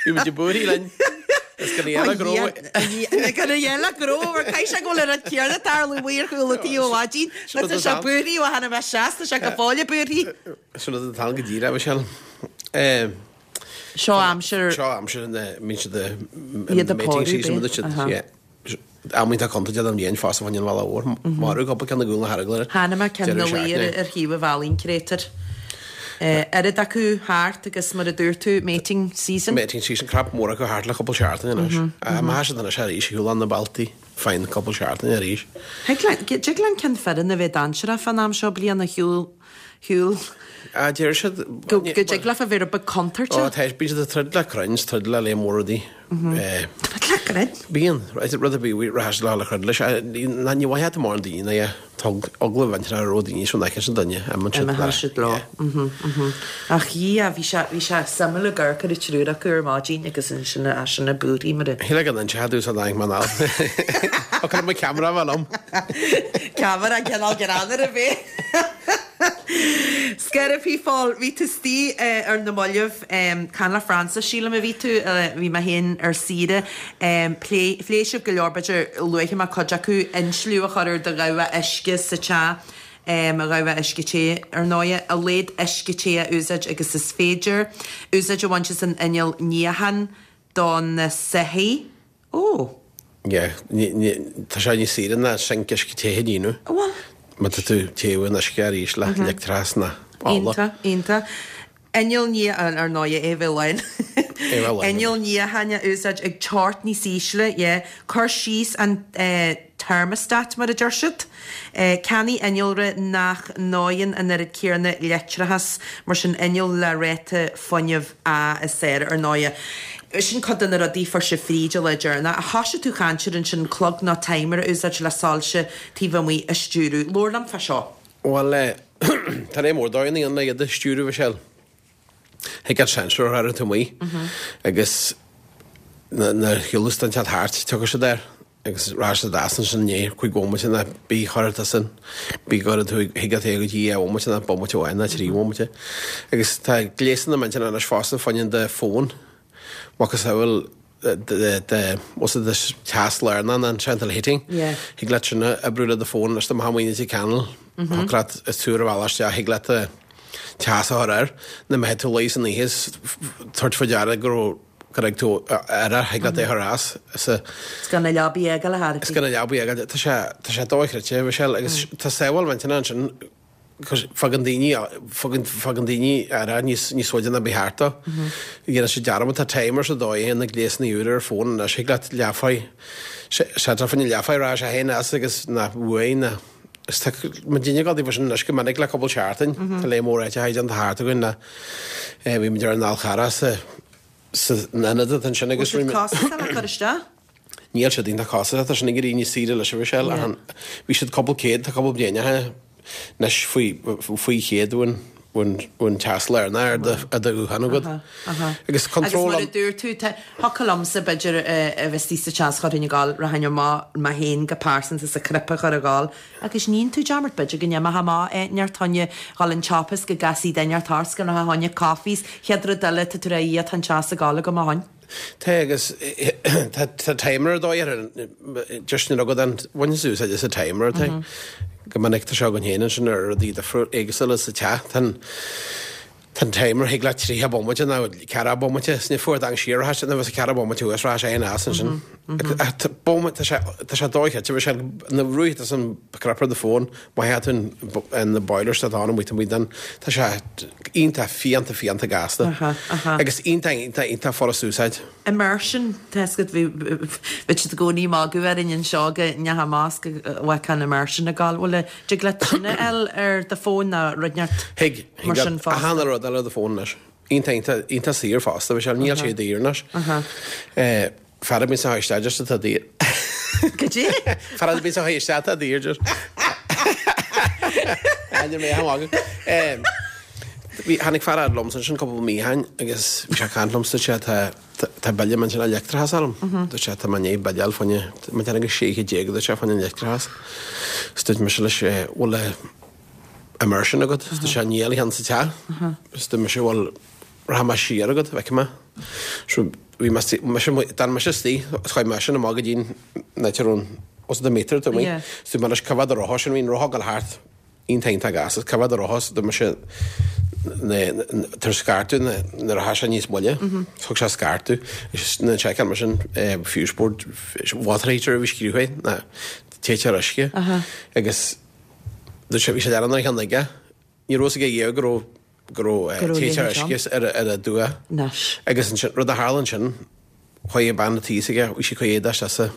Bhí muid ag búirthigh linn. Is go ndéana gnó. Go ndéana gnó mar caithfidh sé go bhfuil an rud céanna ag tarlú amuigh ar chúl an tí ó mhaidin. Tá sé búirthigh ó tháinig mé isteach, tá sé go fóill ag búirthigh. Sin rud atá ann go díreach, Michelle. Seo aimsir. Seo aimsir na mbíonn siad i mating season with siad. Am iontach contúirteach don bhliain fosta fá choinne an bhealaigh mhóir. Marbhú cúpla ceann i gcúl na hEaraglainne. Chonaic mé ceann ina luí ar thaobh an bhealaigh, an créatúr. Oiread acu thart agus mar a dúirt tú, mating season. Mating season, crap mór acu thart le cúpla seachtain anois. Má tá siad anois arís, shiúl na bealtaí fine cúpla seachtain arís. Dtig le an ceann fireann a bheith dainséarach fán am seo bliana, shiúl shiúl. Ah, deir siad. Go dtig leofa bheith rud beag contúirteach. Ó, tá, bíonn siad ag troid le crainn, is troid le léim mór rudaí. Troid le crainn? Bíonn, rud ar bith, rachaidh siad le troid leis. Ní mhaith leat mórán daoine ná é. Tá eagla bhaint ar raibh daoine seo fheiceann siad duine, imíonn siad Imíonn siad leo. Ach dhia, bhí sé, bhí sé suimiúil ag amharc ar an triúr acu ar maidin agus ansin eisean ag búirthigh mar a. Shíl go n-inseochadh tú sa tháinig mé anall. Ó, cuirfidh mé ceamara bheith liom. Ceamara cineál greannmhar a bheith. Scairbhí Phóil, bhí tú istigh ar na mallaibh, caint le Frances, sílim a bhí tú, bhí mé féin ar saoire, plé, phléigh sibh go leor, b'fhéidir luafaidh mé cuid acu, insliú a chur ar do dhamhá uisce sa teach, a dhamhá uisce te, ar ndóighe, a laghad uisce te a úsáid agus is féidir, úsáid a bhaint as an inneall níocháin do na soithí, Ó! Yeah, ní, ní, tá sé níos saoire ná sinc uisce te a dhéanamh. Bhuel. Má tá tú ag téamh an uisce arís le leictreachas ná ola. Iontach, iontach. Inneall ní, ar ndóighe, é bheith lán. É bheith lán. Inneall níocháin a úsáid ag teocht níos ísle, yeah. Cuir síos an eh thermostat, mar a deir siad. Ceannaigh innealra nach ndóigheann an oiread céanna leictreachais, mar sin inneall le ráta fuinnimh A is fearr, ar ndóighe. Sin cuid de na rudaí a fuair sibh fríd an lá deireanach. Ach thoisigh tú ag caint air ansin, clog nó timer a úsáid le soilse taobh amuigh a stiúradh. Labhair liom fá seo. Bhuel, tá léim mór dóigheanna ann le iad a stiúradh, Michelle. Thig leat sensor a chur ar taobh amuigh agus nuair a shiúlas duine inteacht thart, tiocfaidh siad air. Agus rachaidh siad as ansin i ndiaidh cúig bhomaite nó bí chuirfidh tú san, bí gcuirfidh tú thig leat é go dtí dhá bhomaite nó bomaite amháin nó trí bhomaite. Agus tá gléasanna millteanna anois fosta fá choinne do fón, macasamhail de de what's it this teas lárnach an central heating. Yeah. Thig leat sin a oibriú le do fón anois dá mbeifeá amuigh i dTír Chonaill, thiocfadh leat is tú ar an bhealach isteach thig leat teas a chur air, na mbeidh tú luí san oíche is tabhairt faoi deara go raibh go raibh tú ar ar thig leat é a chur as. Is a Is gan na leabaí a fhágáil a Is gan na leabaí a fhágáil. Tá sé tá sé dochreidte, Michelle, agus tá sábháil mhillteanach ansin. Fagann daoine, fagann, fagann daoine aire níos, níos faide ná ba cheart dó. Dhéanann siad dearmad, tá timer sa dóigh a na gléasanna úra ar fón anois, thig leat leathuair, seiteáil fá choinne leathuair rachaidh sé féin as agus ná uaidh ná is tá muidinne ag dul taobh sin anois go minic le cúpla seachtain, tá lear mór áiteacha déanta thart againn le, bhí muid ar an Fhál Charrach sa, san ionad atá ansin agus Bhfuil siad costasach le cur isteach? Níl siad iontach costasach, tá sin ag éirí níos saoire leis a Mhichelle, ach bhí siad cúpla céad, tá cúpla bliain ó shin anois faoi, faoi chéad ón, ón, ón teas lárnach ar do, ar do ghuthán agat. Agus control. Agus mar a dúirt tú, tá, thiocfadh liomsa b'fhéidir a bheith istigh sa teas chuirfinn ag gabháil, rachainn amach mé féin go pearsanta sa cnaipe a chur ag gabháil agus níonn tú dearmad b'fhéidir go n-imeochthá amach inteacht fá choinne dhul an tsiopa is go gcasfaí duine inteacht ort 's go rachthá fá choinne coffee 's chéad rud eile tá tú rá tá an teas ag gabháil agam ó shoin. Tá agus tá timer ar dóigh ar just nuair agat an bhaineann tú úsáid as an timer tá go minic tá seo againn féin ansin ar rudaí difriúil éagsúla sa teach tá an tá an timer thig leat tríocha bomaite nó ceathracha bomaite is ní fuair dang siar rachaidh sé nó bheas ceathracha bomaite thuas rachaidh sé féin as ansin bomaite tá sé tá sé dóiche tá sé na ruaigh tá san cnaipe ar do fón má théann tú an na boilers atá ann amuigh amuigh den tá sé iontach fiánta fiánta gasta agus iontach iontach iontach furast úsáid. Immersion, tá fhios agat bhí bhí siad i gcónaí ag magadh orainn anseo go ndeachaigh amach go bhfeicfeá an immersion ag gabháil. Bhfuil a dtig leat tine a fháil ar do fón nó rud inteacht Thig, thig mar sin leat fosta? achan rud a fháil ar do fón anois. Iontach iontach iontach saor fosta, bhí sé níl sé daor anois. Fear a bhíonn sa isteach just atá daor. Goidé? Fear a bhíonn sa isteach atá daor just. Ainm mé a mhagadh. Bhí tháinig fear fhad liomsa ansin cúpla mí ó shin agus bhí sé ag caint liomsa dúirt sé tá tá bille millteanach leictreachas orm. Dúirt sé tá mé i ndiaidh bille a fháil fá choinne mé ag déanamh sé chéad déag dúirt sé fá choinne an leictreachas. Is dúirt mise leis bhfuil immersion agat? Is dúirt sé níl a cheann sa teach. Is dúirt mise bhuel rachaidh mé siar agat, feicfidh mé. So bhí mé mise d'fhan mise istigh is chuaigh mise amach go dtí an áit a raibh an os the meter to me. So dúirt mé leis cá mhéad a rotha sin bhí an rotha ag dul thart iontach iontach gasta cá mhéad a rotha is dúirt mise tar scairteadh nuair a tha sé níos moille. Thug sé scairteadh is na seiceáil mise an fuse board water heater a bhí scríofa ná téiteoir uisce agus dúirt sé bhí sé leanann ar cheann aige. Ní raibh a fhios aige riamh go raibh go raibh téiteoir uisce ar ar a dua. Agus ansin rud a tharla ansin chuaigh bean an tí s'aige bhí sí ag cur éadaí isteach sa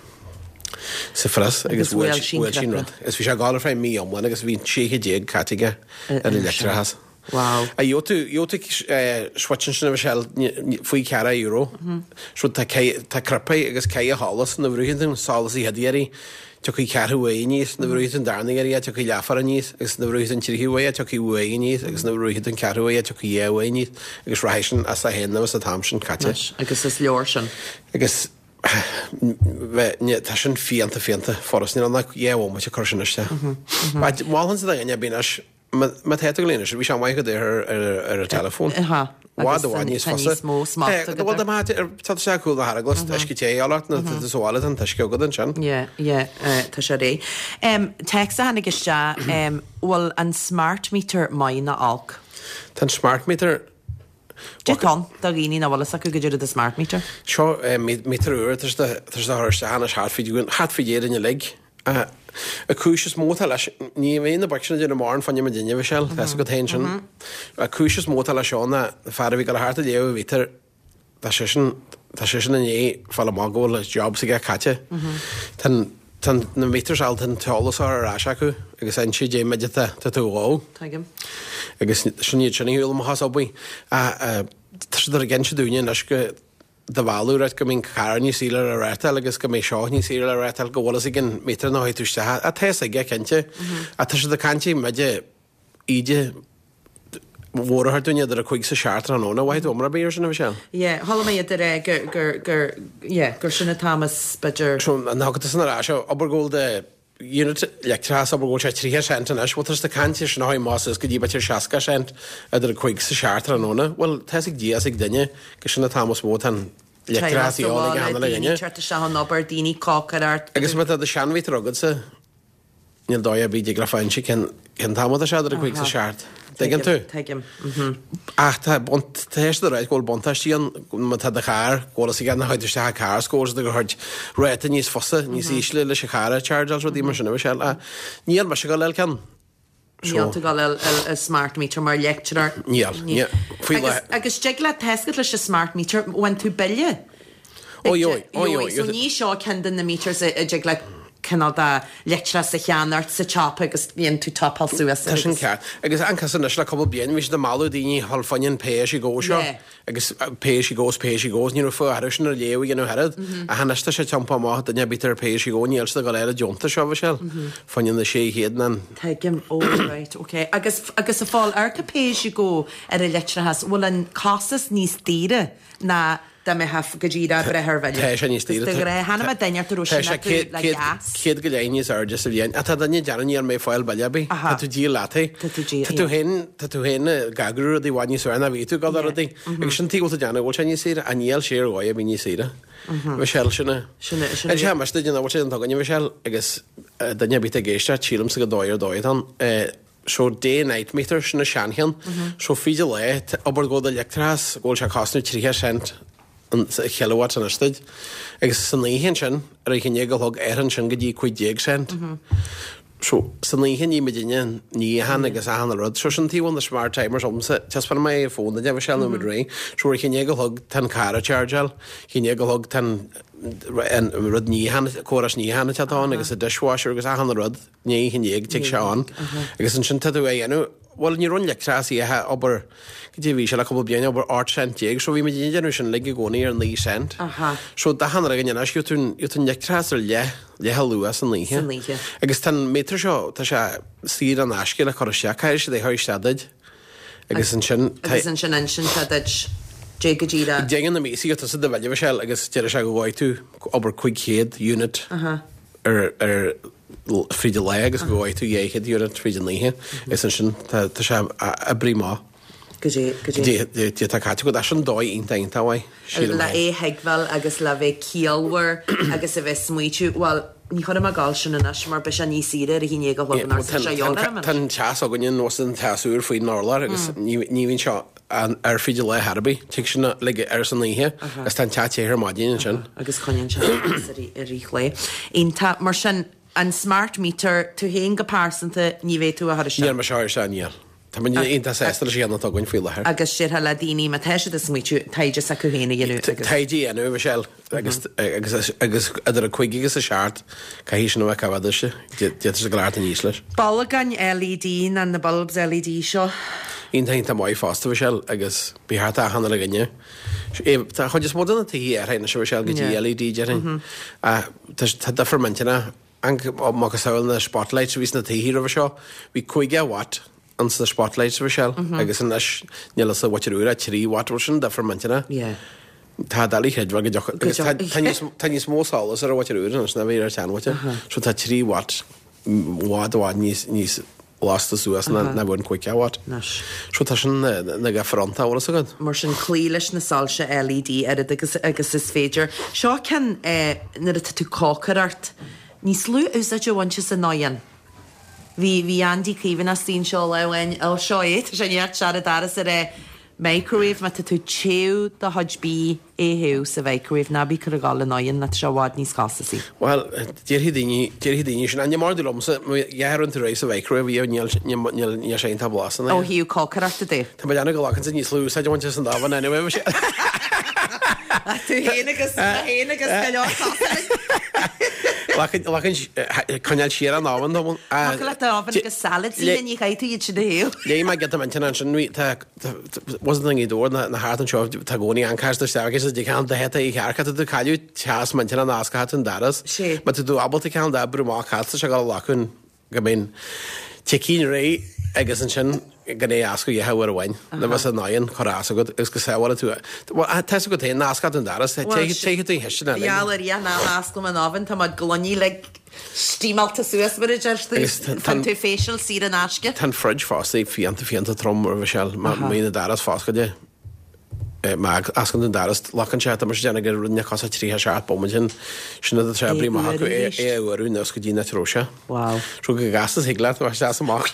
sa phrios agus bhuail sí bhuail sí an rud. Agus bhí sé ag gabháil ar feadh mí iomlán agus bhí sé chéad déag caite aige ar an leictreachas. Wow. A gheobhaidh tú gheobhaidh tú switch ansin a Mhichelle faoi ceathracha euro. So tá tá cnaipe agus ceithre sholas nuair a bhrúann tú an solas an chéad iarraidh tiocfaidh ceathrú uair aníos, nuair a bhrúann tú an darna iarraidh tiocfaidh leathuair aníos, agus nuair a bhrúann tú an tríú huair tiocfaidh uair aníos, agus nuair a bhrúann tú an ceathrú huair tiocfaidh dhá uair aníos, agus rachaidh sin as é féin agus an t-am sin caite. Anois, agus is leor sin. Agus bheith, tá sin fiánta fiánta furast, níl ann ach dhá bhomaite ag cur sin isteach. Mholfainnse do dhuine ar bith anois, má tá tú ag léamh anois, bhí sé maith go deo ar an teileafón. I bhfad i bhfad níos fusa. Tá níos mó smacht agat. Bhuel, dá mbeadh, tá sé cúl na hArglas, uisce te a fháil ort nó tá tú sa bhaile, tá an t-uisce agat ansin. Yeah, yeah, tá sé réidh. Text a tháinig isteach, bhfuil an smart meter maith nó olc? Tá an smart meter Cad tá ann do dhaoine nach bhfuil fhios acu goidé rud is smart meter. Seo meter úr atá siad a chur isteach anois thart fé thart fé Éirinn uilig. An cúis is mó atá leis, ní bheidh na boic sin ag déanamh mórán fá choinne muidinne, Michelle, tá fhios agat féin sin. An cúis is mó atá leis seo ná an fear a bhí ag dul thart ag léamh an mhíotair, tá seisean, tá seisean i ndiaidh fáil amach go bhfuil a job s'aige caite. Tá an, tá na meters all, tá an t-eolas á chur ar ais acu agus inse dé méid atá, tá tú a dhó. Tuigim. Agus sin iad sin a shiúl amach as obair. Tá siad ag inse dúinne anois go do mhealladh right go mbeidh an carr níos saoire le reáchtáil agus go mbeidh seo níos saoire le reáchtáil go bhfuil fhios ag an meter nuair a théann tú isteach. Tá fhios aige cinnte. Ach tá siad ag caint méid íde mhór a thabhairt dúinn idir a cúig is a seacht tráthnóna. Mhaith tú iomrá ar bith ar sin a Mhichelle? Yeah, chuala mé iad ag rá gur, gur, gur, yeah, gur sin an t-am is b'fhéidir. So an dtiocfaidh tusa ar ais, abair go bhfuil do unit leictreachais, abair go bhfuil sé tríocha cent anois, bhuel tá siad ag caint ar sin a chuaigh amach suas go dtí b'fhéidir seasca cent idir a cúig is a seacht tráthnóna. Bhuel, tá fhios ag Dia is ag duine gur sin an t-am is mó atá an leictreachas a dhíobháil ag achan uile Daoine dhuine. teacht isteach ón obair, daoine cócaireacht. Agus má tá do sheanmhítear agatsa, Níl dóigh ar bith dtig leat fáil inse cén cén t-am atá sé idir a cúig is a seacht. Tuigeann tú? Tuigim. Ach tá tá siad ag ráit go bhfuil buntáistí ann má tá do charr, go bhfuil a fhios agat nach isteach an carr is go bhfuil siad ag thabhairt ráta níos fusa, níos ísle leis an charr a chargeáil rudaí mar sin a Mhichelle. Ach níl mise ag dul le ceann. Níl tú ag dul le smart meter mar leictreoir. Níl, níl. Faoi Agus, agus dtig leat tescat leis an smart meter bhain tú bille. Ó, jó, ó, jó. So ní seo ceann de na meters a dtig leat cineál de leictreachas a cheannacht sa tsiopa agus bíonn tú topáil suas. Tá sin ceart. Agus an cas anois le cúpla bliain bhí siad ag mealladh daoine thall fá choinne an pay as you go seo. Yeah. Agus pay as you go is pay as you go ní raibh fáth orthu sin ar léamh a dhéanamh oiread. Ach anois tá sé tiompaithe amach duine ar bith ar pay as you go níl siad ag dul ar an deontas seo Michelle. Fá choinne na sé chéad ná Tuigim, oh right, okay. Agus agus a fáil ar pay as you go ar an leictreachas, bhfuil an costas níos daoire ná dá mbeifeá go díreach breith ar bhille. Tá sé níos daoire. De ghnáth, cheana mé duine ort a raibh Tá sin sé acu céad le céad gas. céad go leith níos airde sa bhliain. Ach tá duine ag déanamh níl mé ag fáil bille ar bith. Aha. Tá tú díol leat é. Tá tú díol, Tá tú yeah. féin tá tú féin ag eagrú rudaí i bhfad níos fearr ná bhí tú ag dul ar rudaí. Agus sin tuige bhfuil tú ag déanamh, bhfuil sé níos saoire, ach níl sé ar dhóigh a bhí níos saoire. Michelle sin é. Sin é- sin An é. sé mar duine bhfuil sé an tugainne Michelle agus eh, duine ar bith ag éisteacht sílimse go dóigh ar dóigh atá ann. Eh, So day night meter sin an seancheann. So fríd an lá abair go bhfuil do leictreachas go bhfuil sé cosnú tríocha cent an sa kilowatt an istigh. Agus san oíche ansin ar a haon déag a chlog athraíonn sin go dtí cúig déag cent. So san oíche ní muidinne níocháin agus achan rud. So sin taobh na smart timers agamsa taispeánfaidh mé fón duit a Mhichelle nó muid réidh. So ar a haon déag a chlog tá an carr ag chargeáil, haon déag a chlog tá an rud níocháin córas níocháin atá ann agus a dishwasher agus achan rud ní haon déag tig sé ann. Agus ansin tá tú a dhéanamh Well ní raibh an leictreachas oíche abair go dtí bhí sé le cúpla bliain abair ocht cent déag, so bhí muid ag déanamh sin uilig i gcónaí ar naoi cent. Aha. So d'achan rud againn anois gheobhaidh tú gheobhaidh tú an leictreachas ar leath leath a luach san oíche. San oíche. Agus tá an méadar seo tá sé saor in aisce le cur isteach, caithfidh siad é chur isteach duit. Agus ansin tá- Agus ansin ansin sé duit dé go dtí Déanann na míosa tusa do bhille Michelle agus deir sé go bhfaighidh tú abair cúig chéad unit Aha. ar ar fríd an lá agus go bhfaighidh tú dhá chéad unit fríd an oíche. Is ansin tá tá sé oibrithe maith. Go dtí go dtí. Dé dé tá caite go sin dóigh iontach iontach mhaith, sílim Le féin. é thuigbheáil agus le bheith ciallmhar agus a bheith smaoitiú, well, ní chuir mé gáil sin anois mar beidh sé níos saoire ar a haon déag a chlog an sé Tá an teas againne nós an teas úr faoin urlár agus ní ní bhíonn seo an ar fríd an lá ar bith, tig sin le ar san oíche agus tá an teas te ar maidin ansin. Agus coinníonn sé ar rith lae. Iontach mar sin an smart meter tú féin go pearsanta ní bheidh tú a chur isteach. Níl mé seo ar níl. Tá muid iontach sásta leis an gceann atá againn faoi láthair. Agus déarfá le daoine má tá siad ag smaoitiú taighde s'acu féin a dhéanamh agus. Taighde a dhéanamh Michelle agus agus agus idir a cúig agus a seacht caithfidh sin a bheith coimhéadach d'fhéadfadh sé go leor aníos leis. Bolgáin LED ná na bulbs LED seo. Iontach iontach maith fosta Michelle agus ba cheart achan uile dhuine. Tá chuid is mó de na tithe ar na Michelle go dtí Yeah. LED déarfainn. Tá tá difear millteanach an macasamhail na spotlights a bhí sna tithe roimhe seo, bhí cúig watt an sna spotlights Michelle agus anois níl sa mhuintir úr trí watt bhfuil sin difear millteanach. Yeah. Tá doiligh a chreidbheáil go dtiocfadh agus tá- dtiocfadh. tá níos- tá níos mó solas ar an mhuintir úr anois ná bhí ar an tseanmhuintir. So tá trí watt i bhfad i bhfad níos níos lasta suas ná ná bhfuil an cúig watt. Anois. So tá sin na na difear iontach bhfuil a fhios agat. Mar sin cloí leis na soilse LED oiread agus agus is féidir. Seo ceann eh, nuair atá tú cócaireacht níos lú úsáid a bhaint as an oigheann. Bhí bhí Andy Caoimhín as daoine seo le bhain il seo é tá sé neart seara daras ar é microwave má tá tú téú do chuid bídh é théú sa microwave ná bí chur a ghabháil an oigheann na tá sé i bhfad níos costasaí. Well, déarfaidh daoine déarfaidh daoine sin an mar liomsa dhear an tú rééis sa microwave bhí níl níl níl sé tá blas Ó thaobh cócaireachta de. Tá mé ag déanamh go bhfágann níos lú úsáid a bhaint as an oven anyway. Tú féin agus féin agus go leor Lachain coinneáil siar an oven dom. le oven agus salad sí ní chaithfidh tú iad sin a théamh. Léigh mé giota millteanach ansin bhí tá wasn't an dóir na na thart anseo tá gcónaí an ceist isteach agus de ceann de heta i chearcha tú cailleadh teas millteanach an asca an daras. Sé. Ma tú ábalta ceann de brú amach cat sé go lachún go mbíonn ticín réidh agus ansin go é asco dhethe uair amháin na bheas an oigheann chur as agat agus go sábhála tú. Tá go féin nasca an daras téigh tú hiiste Gheall ar Dhia ná asclaim an oven tá mar gloiní le steamáilte suas mar a deir tú. Agus tá- Fan tú facial saor in aisce. Tá an fridge fosta fiánta fiánta trom ar Michelle má na daras foscailte. Má osclaíonn an doras, locann sé, tá mise ag déanamh gur rinne cosa tríocha seacht bomaite sin, sin iad atá oibrithe amach acu, é é a fhuarú anuas go dtí an áit a raibh sé. Wow. So go gasta is thig leat, bheadh sé as amach.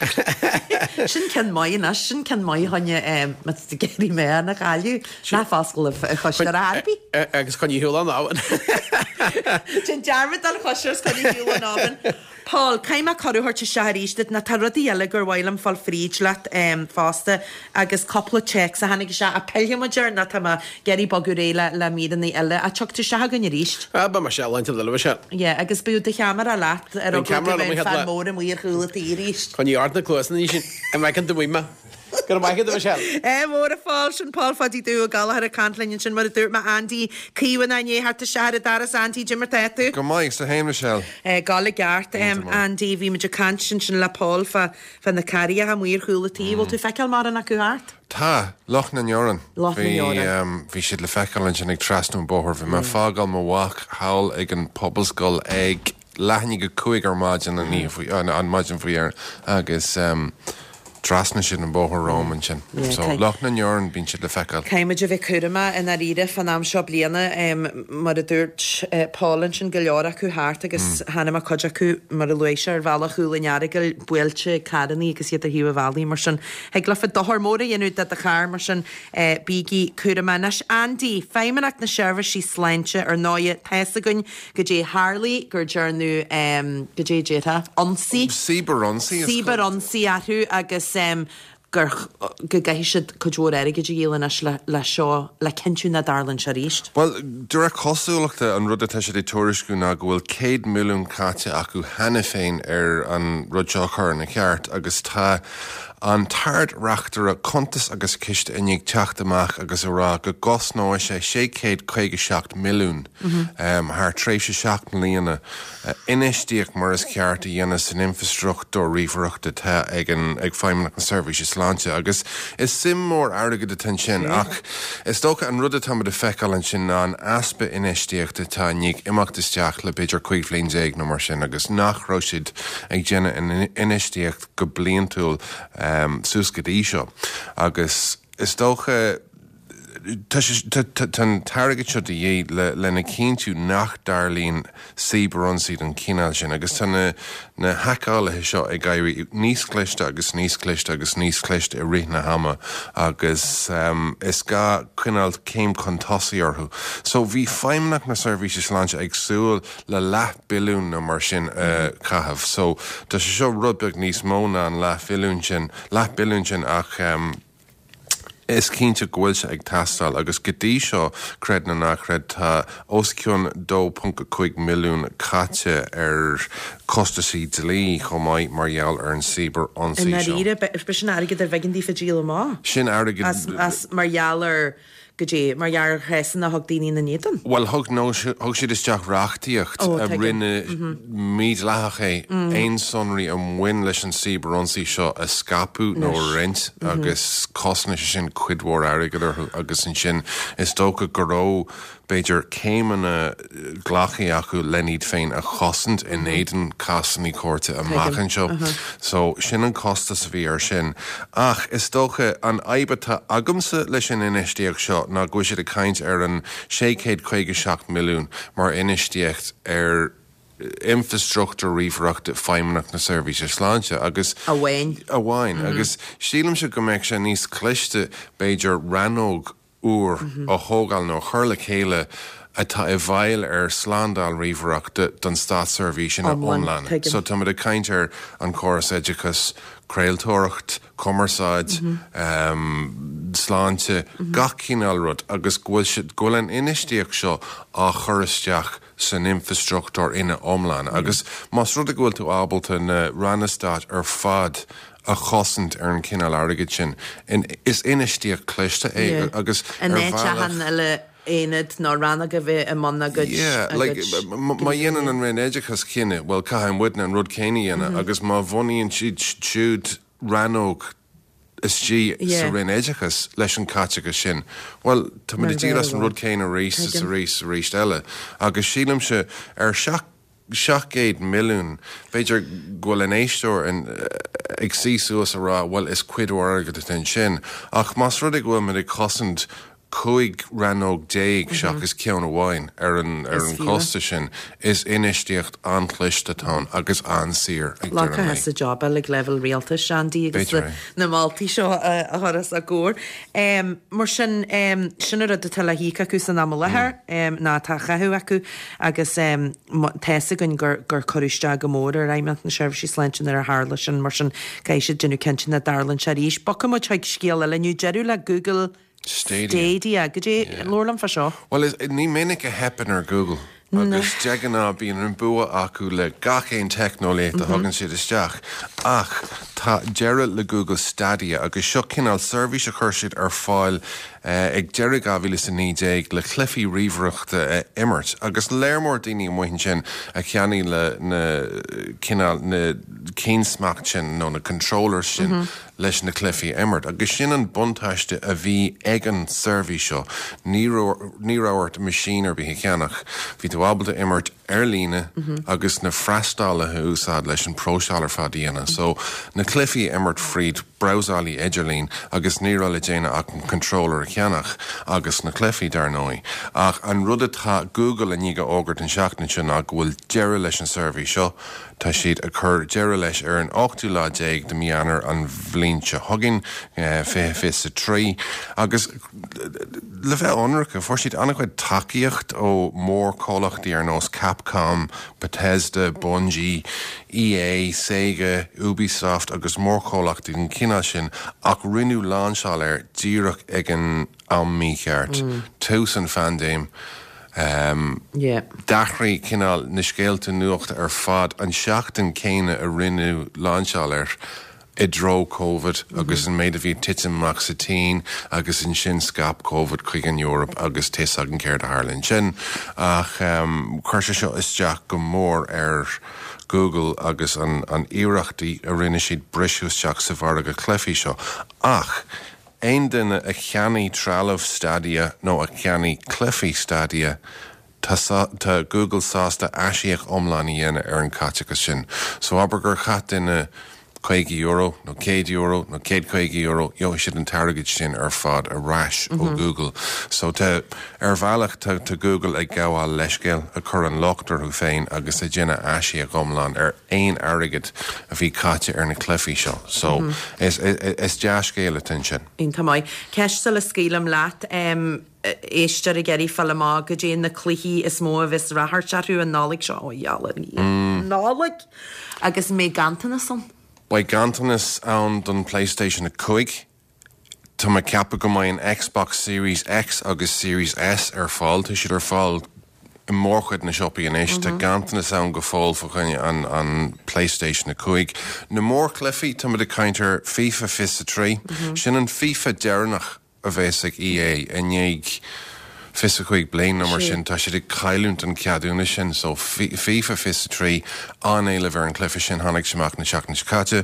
Sin ceann maith anois, sin ceann maith choinne má tá tú ag iarraidh meán a chailleadh, ná foscail an chóisir ar chor ar bith. Agus coinnigh ar shiúl an oven. Déan dearmad den chóisir is coinnigh ar siúl an oven. Paul, caithfidh mé cuireadh a thabhairt isteach arís duit, nó tá rudaí eile gur mhaith liom fáil fríd leat fosta agus cúpla téacs a tháinig isteach, ach pillfidh muid air nó tá mé ag iarraidh bogadh ar aghaidh le, le míreanna eile. Ach tiocfaidh tú isteach chugainn arís. Ah, beidh mé isteach laethanta eile, Michelle. Yeah, agus beidh do cheamara leat ar Beidh eagla go ceamara liom mbeidh an an chéad fear lá. mór amuigh ar chúl an tí arís. Coinnigh ort na cluasanna sin, an bhfeiceann tú uaim mé. Go raibh maith agat, a Michelle. Ádh mór a Phóil, sin Pól Pháidí Dubh Ó Gallchóir ag caint linn ansin mar a dúirt mé Andy Caomhánach i ndiaidh theacht isteach ar an doras Andy, cad é mar tá tú? Go maith, is tú féin Michelle. Ag gabháil i gceart Andy, bhí muid ag caint ansin le Pól fá fá na carraigheacha amuigh ar chúl an tí, bhfuil tú ag feiceáil mórán acu thart? Tá, Loch na nDeoran. Loch na Bhí nDeoran. bhí siad le feiceáil ansin ag trasnú an bóthar. Bhí mé ag fágáil mo mhac thall ag an pobalscoil ag leath i ndiaidh a cúig ar maidin an oíche faoi an maidin faoi dheireadh agus trasnaigh siad an bóthar romham ansin. So, Loch na nDeoran, bíonn siad le feiceáil. Caithfidh muid a bheith cúramach i ndáiríre fán am seo bliana, mar a dúirt Paul ansin, go leor acu thart agus chonaic mé cuid acu, mar a luaigh sé, ar bhealach Chúil an Earagail, buailte ag carrannaí agus iad ar thaobh an bhealaigh, mar sin thig leofa dochar mór a dhéanamh do do charr, mar sin bígí cúramach. Anois, Andy, Feidhmeannacht na Seirbhísí Sláinte, ar ndóighe, tá's againn goidé tharlaigh gur dearnadh, goidé a déarfá, ionsaí. Cibearionsaí. Cibearionsaí orthu agus gur, go gcaithfidh siad cuid mhór airgid a dhíol anois le, le seo, le cinntiú nach dtarlaíonn sé arís. Bhuel, de réir cosúlachta, an rud atá siad ag tuairisciú ná go bhfuil céad milliún caite acu cheana féin ar an rud seo a chur ina cheart agus tá an tArd-Reachtaire Cuntas agus Ciste i ndiaidh teacht amach agus a rá go gcosnóidh sé sé chéad caoga seacht milliún thar tréimhse seacht mbliana infheistíocht mar is ceart a dhéanamh san infreastruchtúr ríomhaireachta atá ag an ag Feidhmeannacht na Seirbhíse Sláinte agus is suim mór airgid atá ansin ach is dócha an rud atáimid a feiceáil ansin ná an easpa infheistíochta atá i ndiaidh imeacht isteach le b'fhéidir cúig bhliain déag nó mar sin agus nach raibh siad ag déanamh infheistíocht go bliantúil suas go dtí seo agus is dócha tá an t-airgead seo de dhíth lena chinntiú nach dtarlaíonn cibearionsaí den chineál sin agus tá na na haiceálaithe seo ag éirí níos cliste agus níos cliste agus níos cliste i rith na hama agus is gá coinneáil céim chun tosaigh orthu. So bhí Feidhmeannacht na Seirbhíse Sláinte ag súil le leath billiún nó mar sin a chaitheamh. So tá sé seo rud beag níos mó ná an leath bhilliún sin, leath billiún sin ach is cinnte go bhfuil sé ag teastáil agus go dtí seo, creid nó ná creid, tá os cionn dó ponc a cúig milliún caite ar chostaisí dlí chomh maith mar gheall ar an cibear-ionsaí I seo. ndáiríre, b'shin airgead ar bh'éigean daofa díol amach. Sin airgead. As, as, mar gheall ar, goidé, mar gheall ar chéasanna a thug daoine ina n-éadan. Bhuel, thug, nó thug siad isteach reachtaíocht Ó, a tuigim. rinne mídhleathach é aon sonraí a bhain leis an cibearionsaí seo a scaipeadh nó a Anois. roinnt agus chosnaigh sé sin cuid mhór airgid orthu agus ansin is dócha go raibh b'fhéidir céimeanna glactha acu len iad féin a chosaint in éadan cásanna cúirte amach Tuigim. anseo. So sin an costas a bhí air sin. Ach is dócha an fhadhb atá agamsa leis an infheistíocht seo ná go bhfuil siad ag caint ar an sé chéad caoga seacht milliún mar infheistíocht ar infreastruchtúr ríomhaireachta Feidhmeannacht na Seirbhíse Sláinte agus Amháin. amháin agus sílimse go mbeadh sé níos cliste b'fhéidir rannóg úr a thógáil nó a chur le chéile atá i bhfeighil ar slándáil ríomhaireachta don státseirbhís ina Iomlán, iomlán. tuigim. So táimid ag caint ar an córas oideachais, craoltóireacht, cumarsáid, um, sláinte, gach cineál rud agus go bhfuil siad- go bhfuil an infheistíocht seo á chur isteach san infreastruchtúr ina iomlán. Agus más rud é go bhfuil tú ábalta na ranna stáit ar fad a chosaint ar an cineál airgid sin, in, is infheistíocht cliste é Yeah. agus An ar áit bhealach- achan eile aonad nó rannóg a bheith i mbun a gcuid Yeah, a like, gcuid m- má dhéanann an Roinn Oideachais cinneadh, well caithfidh muidne an rud céanna a dhéanamh agus má bhunaíonn siad siúd rannóg istigh sa Yeah. Roinn Oideachais leis an caiteachas sin, well tá muid ag díol as an rud céanna arís is Tuigim. arís arís eile. Agus sílimse ar seacht seacht gcéad milliún, b'fhéidir go bhfuil an éisteoir in, eh, ag suí suas a rá, well is cuid mhór airgid atá ansin, ach más rud é go bhfuil muid ag cosaint cúig rannóg déag seachas ceann amháin ar an ar an costas sin, is infheistíocht an-chliste atá ann agus an-saor ag deireadh an lae. sa job ag leibhéal rialtais, Andy, agus na moltaí seo a chur os a gcomhair. Mar sin, sin an rud atá le híoc acu san am i láthair, ná atá á chaitheamh acu agus tá fhios againn gur gur cuireadh isteach go mór ar fheidhmeannacht na seirbhísí sláinte nuair a tharla sin, mar sin caithfidh siad déanamh cinnte nach dtarlaíonn sé arís. Bogfaidh muid chuig scéal eile inniu, deireadh le Google Stadia. Stadia. Goidé, labhair liom fá seo. Bhuel, is, ní minic a theipeann ar Google. Agus de ghnáth bíonn an bua acu le gach aon teicneolaíocht a thugann siad isteach. Ach tá deireadh le Google Stadia agus seo cineál seirbhís a chuir siad ar fáil ag deireadh dhá mhíle is a naoi déag le cluichí ríomhaireachta a imirt. Agus léar mór daoine amuigh ansin a cheannaigh le na cineál na cinn smacht sin nó na controllers sin leis na cluichí a imirt. Agus sin an buntáiste a bhí ag an seirbhís seo, ní raibh ort machine ar bith a cheannach, bhí tú ábalta imirt ar líne agus na freastalaithe a úsáid leis an próiseáil ar fad a dhéanamh. So, na cluichí a imirt fríd brabhsálaí idirlín agus ní raibh le déanamh ach an controller a cheannach agus na cluichí, dar ndóigh. Ach an rud atá Google i ndiaidh a fhógairt an tseachtain seo ná go bhfuil deireadh leis an seirbhís seo. Tá siad ag cur deireadh leis ar an ochtú lá déag de mí Eanáir an bhliain seo chugainn, fiche fiche a trí, agus le bheith ionraic, fuair siad an-chuid tacaíocht ó mhórchomhlachtaí ar nós Capcom, Bethesda, Bungie, EA, Sega, Ubisoft agus mórchomhlachtaí den chineál sin ach rinneadh lainseáil air díreach ag an am mícheart, tús an phaindéim. D'athraigh cineál na scéalta nuachta ar fad an seachtain céanna a rinneadh lainseáil air i dtreo Covid agus an méid a bhí ag titim amach sa tSín agus ansin scaip Covid chuig an Eoraip agus tá 'fhios againn céard a tharla ansin. Ach chuir sé seo isteach go mór ar Google agus an iarrachtaí a rinne siad briseadh isteach sa mhargadh cluichí seo. Ach aon duine a cheannaigh trealamh Stadia nó a cheannaigh cluichí Stadia, tá tá Google sásta aisíoc iomlán a dhéanamh ar an chaiteachas sin. So abair gur chaith duine caoga euro nó céad euro nó céad caoga euro, gheobhaidh siad an t-airgead sin ar fad ar ais ó Google. So tá, ar bhealach tá tá Google ag gabháil leithscéal, ag cur an locht orthu féin agus ag déanamh aisíoc iomlán ar aon airgead a bhí caite ar na cluichí seo. So is is dea-scéal atá ansin. Iontach maith. Ceist sula scaoilim leat, éisteoir ag iarraidh fáil amach goidé na cluichí is mó a bheas ráchairt orthu an Nollaig seo. Ó, gheall ar an Nollaig! Agus an mbeidh ganntanas ann? Beidh ganntanas ann don PlayStation a cúig. Tá mé ag ceapadh go mbeidh an Xbox Series X agus Series S ar fáil. Tá siad ar fáil i mórchuid na siopaí anois. Tá ganntanas ann go fóill fá choinne an an PlayStation a cúig. Na mórchluichí, táimid ag caint ar FIFA fiche a trí. Sin an FIFA deireanach a bheas ag EA i ndiaidh fiche a cúig bliain nó mar sin, tá siad ag cailliúint an ceadúnas sin. So FIFA fiche a trí, an-éileamh ar an chluiche sin, tháinig sé amach na seachtaine seo caite.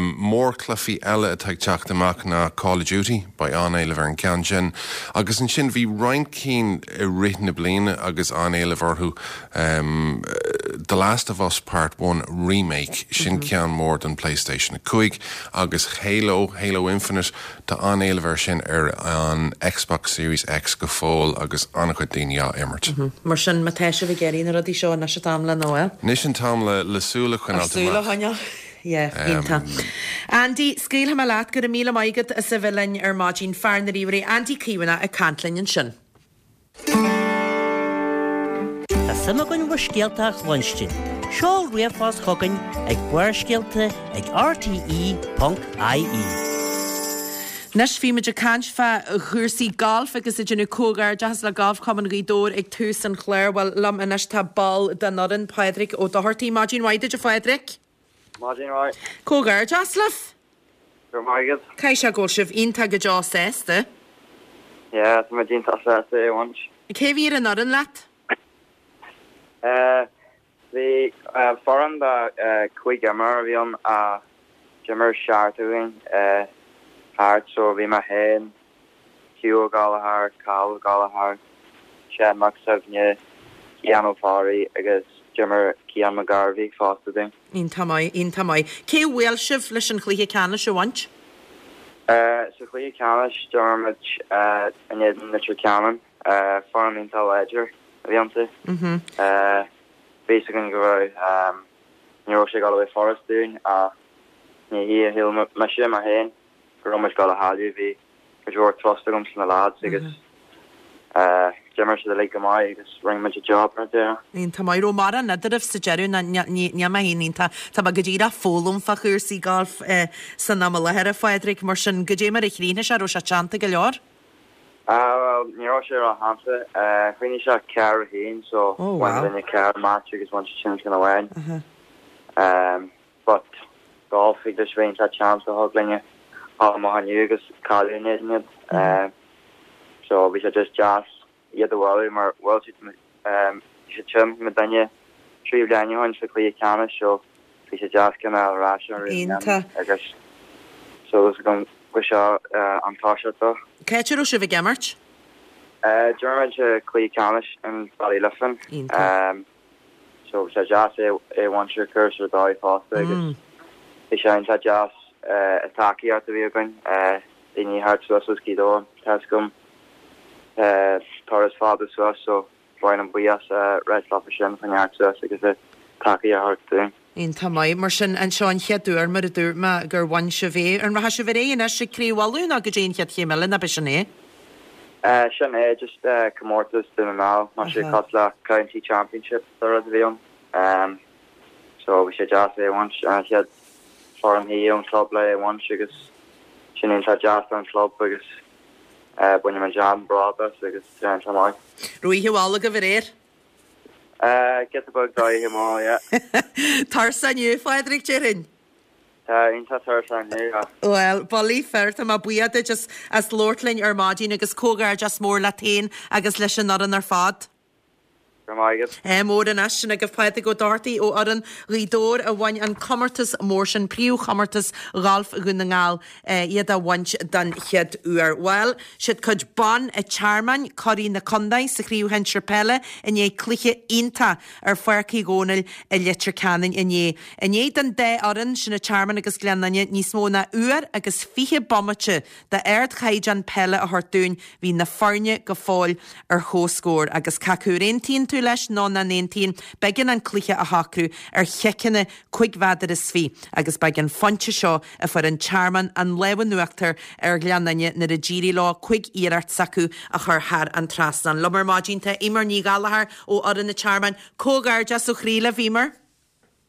Mórchluichí eile atá ag teacht amach ná Call of Duty, beidh an-éileamh ar an ceann sin. Agus ansin bhí roinnt cinn i rith na bliana agus an-éileamh orthu, The Last of Us Part One Remake, sin ceann mór don PlayStation a cúig, agus Halo, Halo Infinite, Tá an-éileamh air sin ar an Xbox Series X go fóill agus an-chuid daoine á imirt. Mar sin, má tá sibh ag iarraidh na rudaí seo, anois an t-am le nó. Anois an t-am le le súil a choinneáilt amach. Súil a choinneáil. Yeah, iontach. Andy, scaoilfidh mé leat, go raibh míle maith agat as a bheith linn ar maidin, fear na ríomhairí, Andy Caomhánach ag caint linn ansin. Tá suim againn bhur scéalta a chluinstin. Seol ríomhphost chugainn ag Barrscéalta ag rte ponc ie. Anois bhí muid ag caint fá chúrsaí gailf agus ag déanamh comhghairdeachas le Galf Chumann Ghaoth Dobhair ag tús an chláir. Bhuel, liom anois tá ball den fhoireann, Pádraig Ó Dochartaigh. Maidin mhaith duit a Phádraig. Maidin mhaith. Comhghairdeas libh. Go raibh maith agat. Caithfidh sé go bhfuil sibh iontach go deo sásta. Yeah, tá muid iontach sásta é a bhaint. Cé bhí ar an fhoireann leat? Eh, bhí foireann de cúig imreoir a bhí ann ach d'imir seachtar againn thart so bhí mé féin, Hugh Ó Gallchóir, Cathal Ó Gallchóir, Seán Mac Suibhne, Cian Ó Fearraigh agus d'imir Cian McGarvey fosta dúinn. Iontach maith, iontach maith. Cé a bhuail sibh leis an chluiche ceannais a bhaint? Sa chluiche ceannais d'imir muid in éadan Leitir Ceanainn, foireann iontach láidir a bhí iontu. Bhí fhios againn go raibh, ní raibh sé ag dul a bheith furast dúinn ach ní hé a shíl mise mé féin go raibh muid ag dul a chailleadh. Bhí cuid mhór trust agam sna lads agus d'imir siad uilig go maith agus rinne muid an job ar deireadh. Iontach maith. Raibh mórán eadraibh sa deireadh ná níl mé féin iontach, tá mé go díreach ag foghlaim fá chúrsaí golf san am i láthair, a Phádraig, mar sin goidé mar a chríochnaigh sé, raibh sé teannta go leor? Ah bhuel, ní raibh sé ró-theannta. Chríochnaigh sé ceathair a haon so bhain duine ceathair match agus bhain siad sin ceann amháin. But golf thig leis bheith iontach teannta thig linne dhul amach inniu agus cailleadh in éadan iad. So bhí sé just deas iad a bhualadh mar bhuail siad siad sin muidinne trí bliana ó shin sa chluiche ceannais so bhí sé deas ceann a fháil ar ais ar Iontach. agus so is agam go seo an toiseacht dó. Cá háit a raibh sibh ag imirt? D'imir muid sa chluiche ceannais in Ballyliffin. Iontach. So bhí sé deas é é a bhaint ar chúrsa ar dóigh fosta agus bhí sé iontach deas an tacaíocht a bhí againn daoine thart suas as Gaoth Dobhair tá fhios agam turas fada suas so ba mhaith liom buíochas a ráit leofa sin chun teacht suas agus a tacaíocht a thabhairt dúinn. Iontach maith. Mar sin, anseo an chéad uair, mar a dúirt mé, gur bhain sibh é. An rachaidh sibh ar aghaidh anois ag Craobh Uladh nó goidé an chéad chéim eile nó ab é sin é? Sin é, just comórtas Dún na nGall, mar sé cosúil le County Championship do rud a bhí ann. So bhí sé deas é a bhaint, an chéad foireann thiar ón club le é a bhaint agus sin iontach deas don club agus bainimid an-bhród as agus tá iontach maith. Raibh oíche mhall agaibh aréir? Giota beag d'oíche mhall, yeah. Tuirseach inniu, a Phádraig, déarfainn? Tá iontach tuirseach inniu, yeah. Bhuel, bullaí fir, tá mé buíoch duit as as labhairt linn ar maidin agus comhghairdeas mór leat féin agus leis an fhoireann ar fad. Go raibh maith agat. Ádh mór anois, sin agaibh Pádraig Ó Dochartaigh ó fhoireann Ghaoth Dobhair a bhain an comórtas mór sin, príomhchomórtas ghalf Dhún na nGall, iad a bhaint den chéad uair. Bhuel, siad cuid ban an Tearmainn, curaidh na contae sa chraobh shinsir peile i ndiaidh cluiche iontach ar Pháirc Uí Dhónaill i Leitir Ceanainn inné. I ndiaidh don dá fhoireann, sin an Tearmann agus Gleann Fhinne, níos mó ná uair agus fiche bomaite d'ardchaighdeán peile a thabhairt dúinn, bhí na foirne go fóill ar comhscór agus cé acu ar aontaíonn tú leis nó nach n-aontaíonn, b'éigean an cluiche a shocrú ar chiceanna cúig mhéadar is fiche agus ba ag an phointe seo a fuair an Tearmann an lámh in uachtar ar Ghleann Fhinne nuair a d'éirigh leo cúig iarracht s'acu a chur thar an trasnán. Liom ar maidin tá Eimear Ní Ghallchóir ó fhoireann an Tearmainn. Comhghairdeas ó chroí libh, Eimear.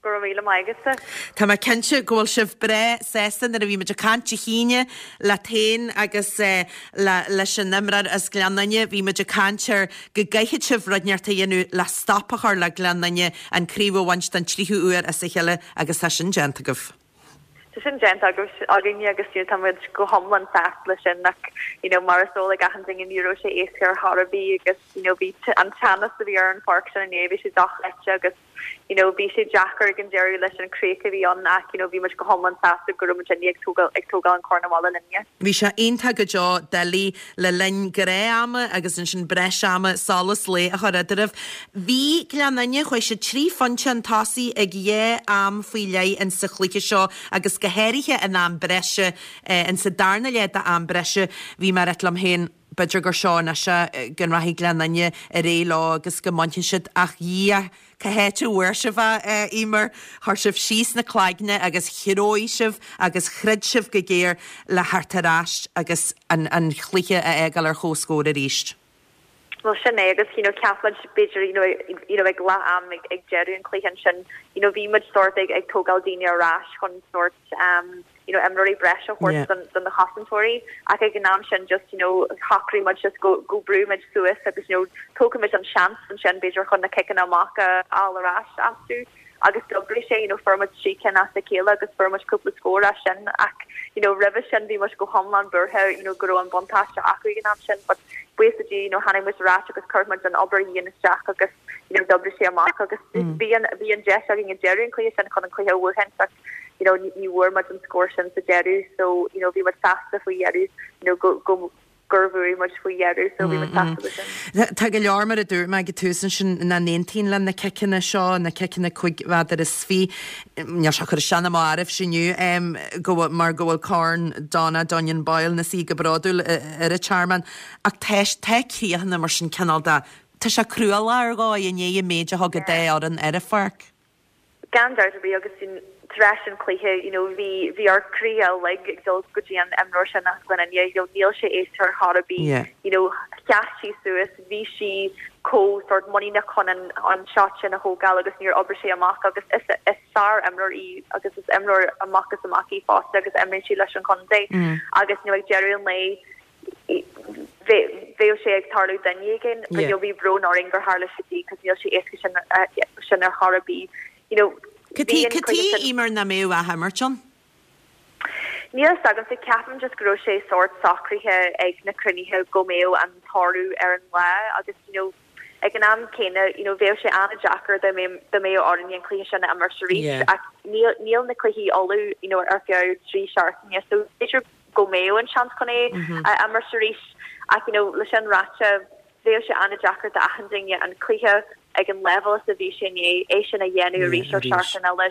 Go raibh míle maith agatsa. Tá mé cinnte go bhfuil sibh breá sásta nuair a bhí muid ag caint Dé hAoine leat féin agus le leis an imreoir as Gleann Fhinne, bhí muid ag caint ar go gcaithfidh sibh rud inteacht a dhéanamh le stop a chur le Gleann Fhinne an craobh a bhaint den tríú huair as a chéile agus tá sin déanta agaibh. Tá sin déanta againne agus you know, tá muid go hiomlán sásta leis sin ach you know, mar is eol ag achan duine ní raibh sé éasca ar chor ar bith agus you know, bhí an teannas a bhí ar an pháirc sin inné bhí sé dochreidte agus you know, bhí sé deacair ag an deireadh leis an chríoch a bhí ann ach you know, bhí muid go hiomlán sásta go raibh muid ag tógáil ag tógáil an corn abhaile linne. Bhí sé iontach go deo doiligh le linn gnáth-ama agus ansin breis ama solas lae a chur eadraibh. Bhí Gleann Fhinne chuaigh siad trí phointe chun tosaigh ag dhá am faoi leith in sa chluiche seo agus go háirithe in am breise in sa darna leath d'am breise bhí mé ag rá liom féin b'fhéidir gur seo anois é go rachaidh Gleann Fhinne ar aghaidh leo agus go mbainfidh siad ach Dhia cá háit a bhfuair sibh é Eimear chuir sibh síos na cloigne agus threabh sibh agus throid sibh go géar le theacht ar ais agus an an chluiche a fhágáil ar chomhscór arís. Well sin é agus you know cheap muid b'fhéidir you know you know ag leath am ag ag deireadh an chluiche ansin you know bhí muid sort ag ag tógáil daoine ar ais chun sort um you know imreoirí breise a thabhairt don don na chosantóirí ach ag an am sin just you know shocraigh muid just go go brú muid suas agus you know tógfaidh muid an seans ansin b'fhéidir chun na ciceanna amach a fháil ar ais astu agus d'oibrigh sé you know fuair muid trí cinn as a chéile agus fuair muid cúpla scór as sin ach you know roimhe sin bhí muid go hiomlán buartha you know go raibh an buntáiste acu ag an am sin but buíochas le Dia you know tháinig muid ar ais agus chuir muid an obair dhian isteach agus you know d'oibrigh sé amach agus bhí an bhí an deis againn ag deireadh an chluiche sin chun an cluiche a bhuachan ach you know ní ní bhfuair muid an scór sin sa deireadh so you know bhí muid sásta faoi dheireadh you know go go gur bhuaigh muid faoi dheireadh so bhí muid sásta leis sin. Tá go leor mar a dúirt mé ag an tús ansin nach n-aontaíonn le na ciceanna seo, na ciceanna cúig mhéadar is fiche, níl sé ag cur isteach ná amach oraibhse inniu go bhfuil, mar go bhfuil Corn Donna Dunion Boyle ina suí go bródúil ar an Tearmann ach tá, tá críochanna mar sin cineál de, tá sé cruálach ar dhóigh i ndiaidh an méid a thug an dá fhoireann ar an pháirc. Gan dabht ar bith agus tar éis an chluiche you know bhí bhí ár gcroíthe uilig ag dul go dtí an imreoir sin as Gleann Fhinne you know níl sé éasca ar chor ar bith Yeah. you know sheas sí suas bhí sí chomh sort muiníneach chun an an shot sin a thógáil agus níor oibrigh sé amach agus is is sár imreoir í agus is imreoir amach is amach í fosta agus imríonn sí leis an chontae agus you know ag deireadh an lae bheadh sé ag tarlú duine éigin but you know bhí brón orainn gur tharla sé di cos níl sé éasca sin sin ar chor ar bith you know Cad chuige Eimear nach mbeadh athimirt ann? Níl a fhios agamsa ceapaim just go raibh sé sórt socraithe ag na cruinnithe go mbeadh an toradh ar an lá agus you know ag an am céanna you know bheadh sé an-deacair dá mbeadh dá mbeadh orainn an cluiche sin a imirt arís ach níl níl na cluichí ullamh you know ar feadh trí seachtaine so b'fhéidir go mbeadh an seans chun é a imirt arís ach you know le sin ráite bheadh sé an-deacair d'achan duine an cluiche ag an leibhéal is a bhí sé inné é sin a dhéanamh arís ar seachtain eile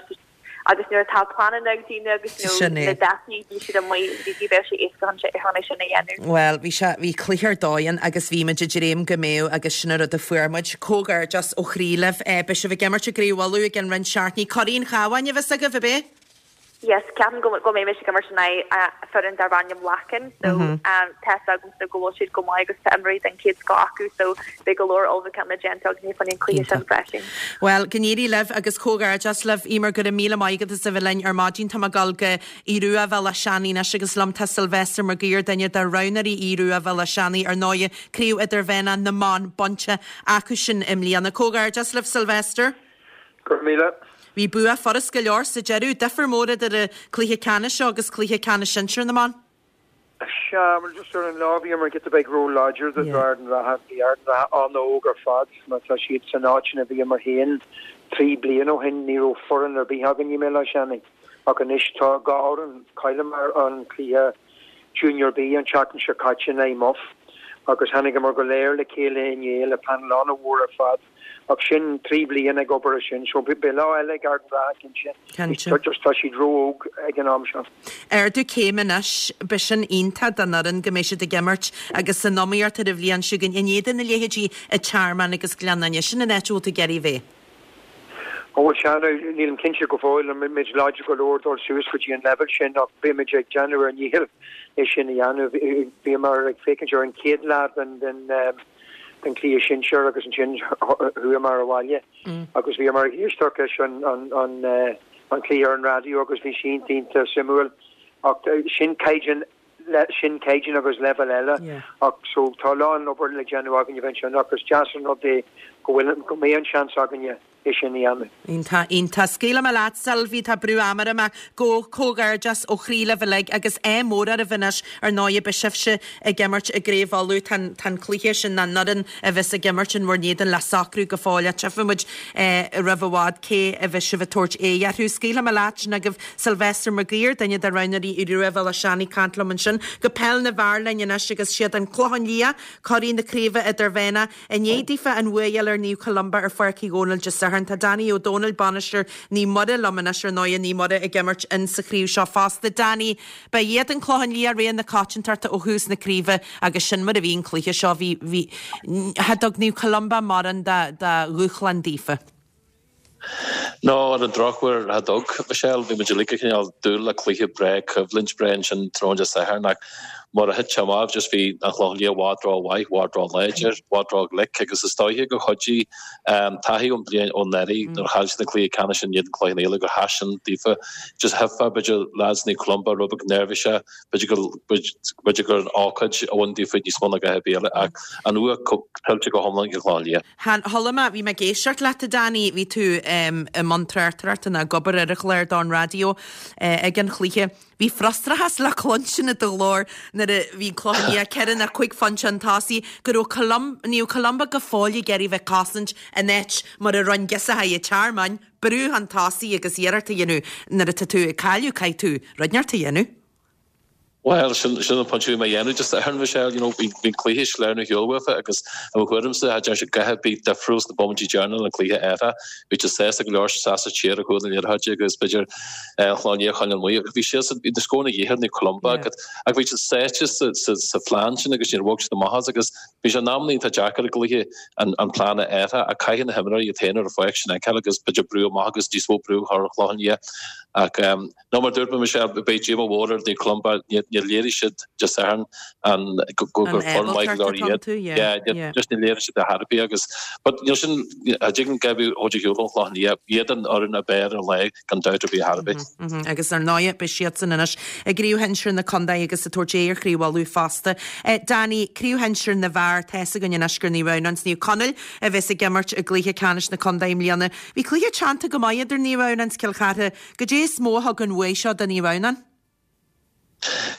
agus nuair atá pleananna ag daoine agus you know Sin é. na dátaí bhí siad amuigh bhí bhí bheadh sé éasca chun sé chun é sin a dhéanamh. Bhuel, bhí sé, bhí cluiche ar dóigh ann agus bhí muid ag dréim go mbeadh agus sin an rud a fuair muid. Comhghairdeas ó chroí libh. Eh, beidh sibh ag imirt i gCraobh Uladh i gceann roinnt seachtainí. Curaidh an Chabháin a bheas agaibh, ab é? Yes, ceapaim go go mbeidh ag imirt in aghaidh foireann darb ainm Lacken so tá fhios agamsa go bhfuil siad go maith agus tá imreoirí den chéad scoth acu so beidh go leor ullmhúchán le déanamh againn fá choinne an cluiche sin freisin. Bhuel, go n-éirí libh agus comhghairdeas libh, Eimear, go raibh míle maith agat as a bheith linn ar maidin. Tá mé ag dul go Aodh Rua Bhéal Átha Seanaidh anois agus liom tá Sylvester Mac Uidhir, duine de roghnóirí Aodh Rua Bhéal Átha Seanaidh, ar ndóighe, Craobh Idirmheánach na mBan bainte acu sin i mbliana. Comhghairdeas libh, Sylvester. Go raibh míle. Bhí bua furast go leor sa deireadh, difear mór idir an cluiche ceannais seo agus cluiche ceannais sinsir na mban. Sea, bhuel just ar an lá bhíomar giota beag ró-láidir do Ard an Rátha. Bhí Ard an Rátha an-óg ar fad, má tá siad san áit ina bhíomar féin trí bliana ó shin ní raibh foireann ar bith againn i mBéal Átha Seanaidh ach anois tá dhá fhoireann. Chailleamar an cluiche Junior B an tseachtain seo caite in aghaidh Muff agus tháinigeamar go léir le chéile inné le panel an-mhór ar fad. Ach sin trí bliana ag obair ar sin, so beidh lá eile ag Ard an Rátha cinnte. Cinnte. Just tá siad ró-óg ag an am seo. Ardú céime anois, beidh sin iontach don fhoireann go mbeidh siad ag imirt agus san iomaíocht ar an bhliain seo chugainn in éadan na leithéidí an Tearmann agus Gleann Fhinne. Sin an áit a bhfuil tú ag iarraidh a bheith. Ó bhuel sea, now nílim cinnte go fóill an mbeidh muid láidir go leor dul suas go dtí an leibhéal sin ach beidh muid ag déanamh ár ndícheall é sin a dhéanamh. Bhíomar ag féachaint ar an chéad lá den den den chluiche sinsir agus ansin chuamar abhaile agus bhíomar ag éisteacht leis an an an cluiche ar an raidió agus bhí sé iontach iontach suimiúil ach sin caighdeán sin caighdeán agus leibhéal eile ach so tá a lán obair le déanamh againne bheith ansin ach is deas an rud é go bhfuil go mbeidh an seans againne é sin a dhéanamh. Iontach, iontach. Scaoilfidh mé leat, Sylvie, tá brú ama orm ach go comhghairdeas ó chroí libh uilig agus ádh mór oraibh anois, ar ndóigh, beidh sibhse ag imirt i gCraobh Uladh, tá an, tá an cluiche sin, na an fhoireann a bheas ag imirt in bhur n-éadan le socrú go fóill ach tchífidh muid roimh i bhfad cé a bheas sibh ag tabhairt aghaidh orthu. Scaoilfidh mé leat, sin agaibh Sylvester Mac Uidhir, duine de roghnóirí Aodh Rua Bhéal Átha Seanaidh, ag caint liom ansin. Go peil na bhfear linn anois agus siad an Clochán Liath, curaidh na Craoibhe Idirmheánach, I ndiaidh daofa an bhua a fháil ar Naomh Columba ar Pháirc Uí Dhónaill Dé Sathairn, tá Danny Ó Dónaill, bainisteoir Naomh Muire liom anois ar ndóighe, Naomh Muire ag imirt in sa chraobh seo fosta. Danny, ba iad an Clochán Liath rogha na coitiantachta ó thús na craoibhe agus sin mar a bhí an cluiche seo, bhí, bhí, cha dtug Naomh Columba mórán de, de dhúshlán daofa. No, ar an drochuair cha dtug, Michelle, bhí muid uilig ag cineál dúil le cluiche breá, coimhlint breá ansin tráthnóna Dé Sathairn ach mar a thit sé amach just bhí an Clochán Liath i bhfad ró-mhaith, i bhfad ró-láidir, i bhfad ró-ghlic agus is dóiche gur chuidigh taithí ón bhliain ó anuraidh nuair a chaill siad an cluiche ceannais in éadan Cloich Cheann Fhaola gur sheas sin daofa. Just thuigfeá b'fhéidir lads Naomh Columba rud beag neirbhíseach, b'fhéidir go b'fhéidir gur an ócáid a bhain daofa níos mó ná a dhath ar bith eile ach an bua tuillte go hiomlán ag an Chlochán Liath. Chuala mé, bhí mé ag éisteacht leat a Danny, bhí tú i mbun tráchtaireachta nó ag obair ar an chlár don raidió ag an chluiche. Bhí frustrachas le cluinstin i do ghlór nuair a bhí an Clochán Liath ceithre nó cúig phointe chun tosaigh go raibh Colum, Naomh Columba go fóill ag iarraidh bheith ag cosaint in áit mar a rinne girseachaí an Tearmainn, brú chun tosaigh agus iarracht a dhéanamh nuair atá tú ag cailleadh caithfidh tú rud inteacht a dhéanamh. Bhuel, sin sin an pointe a bhí mé a dhéanamh just ar Michelle, you know, bhí bhí cluiche soiléir ar shiúl uafa agus i mo thuairimse cha dtearn siad a dhath ar bith difriúil sna bomaintí deireanacha den chluiche eile. Bhí siad sásta go leor seasamh siar a chuaigh na liathróidí agus b'fhéidir eh, an Chlochán Liath a choinneáil amuigh. Bhí siad bhí na scóranna de dhíth ar Naomh Columba yeah. ach bhí siad sáite sa, sa, sa phlean sin agus níor bhog siad amach as agus bhí sé in amanna iontach deacair i gcluiche an, an plean a athrú ach caithfidh na himreoirí iad féin ar an pháirc sin a fheiceáil agus b'fhéidir brú amach agus níos mó brú a chur ar an Chlochán Liath. Ach um, nó mar dúirt mé Michelle, beidh díomá mhór ar Naomh Columba, níor léirigh siad Dé Sathairn an go gur foireann maith go leor iad. Yeah, just níor léirigh siad a dhath ar bith agus but níl sin a dtuigeann Gaby Ó de Shiúil an Chlochán Liath, iad an fhoireann ab fhearr ar an lá gan dabht ar bith ar bith. Agus ar ndóigh beidh siadsan anois i gcraobh shinsir na contae agus ag tabhairt aghaidh ar Chraobh Uladh fosta. Danny, Craobh shinsir na bhfear, tá fhios againn anois gur Naomh Adhamhnáin 's Naomh Conaill a bheas ag imirt i gcluiche ceannais na contae i mbliana. Bhí cluiche teannta go maith idir Naomh Adhamhnáin 's Cill Chartha. Goidé is mó a thug an bhuaidh seo do Naomh Adhamhnáin?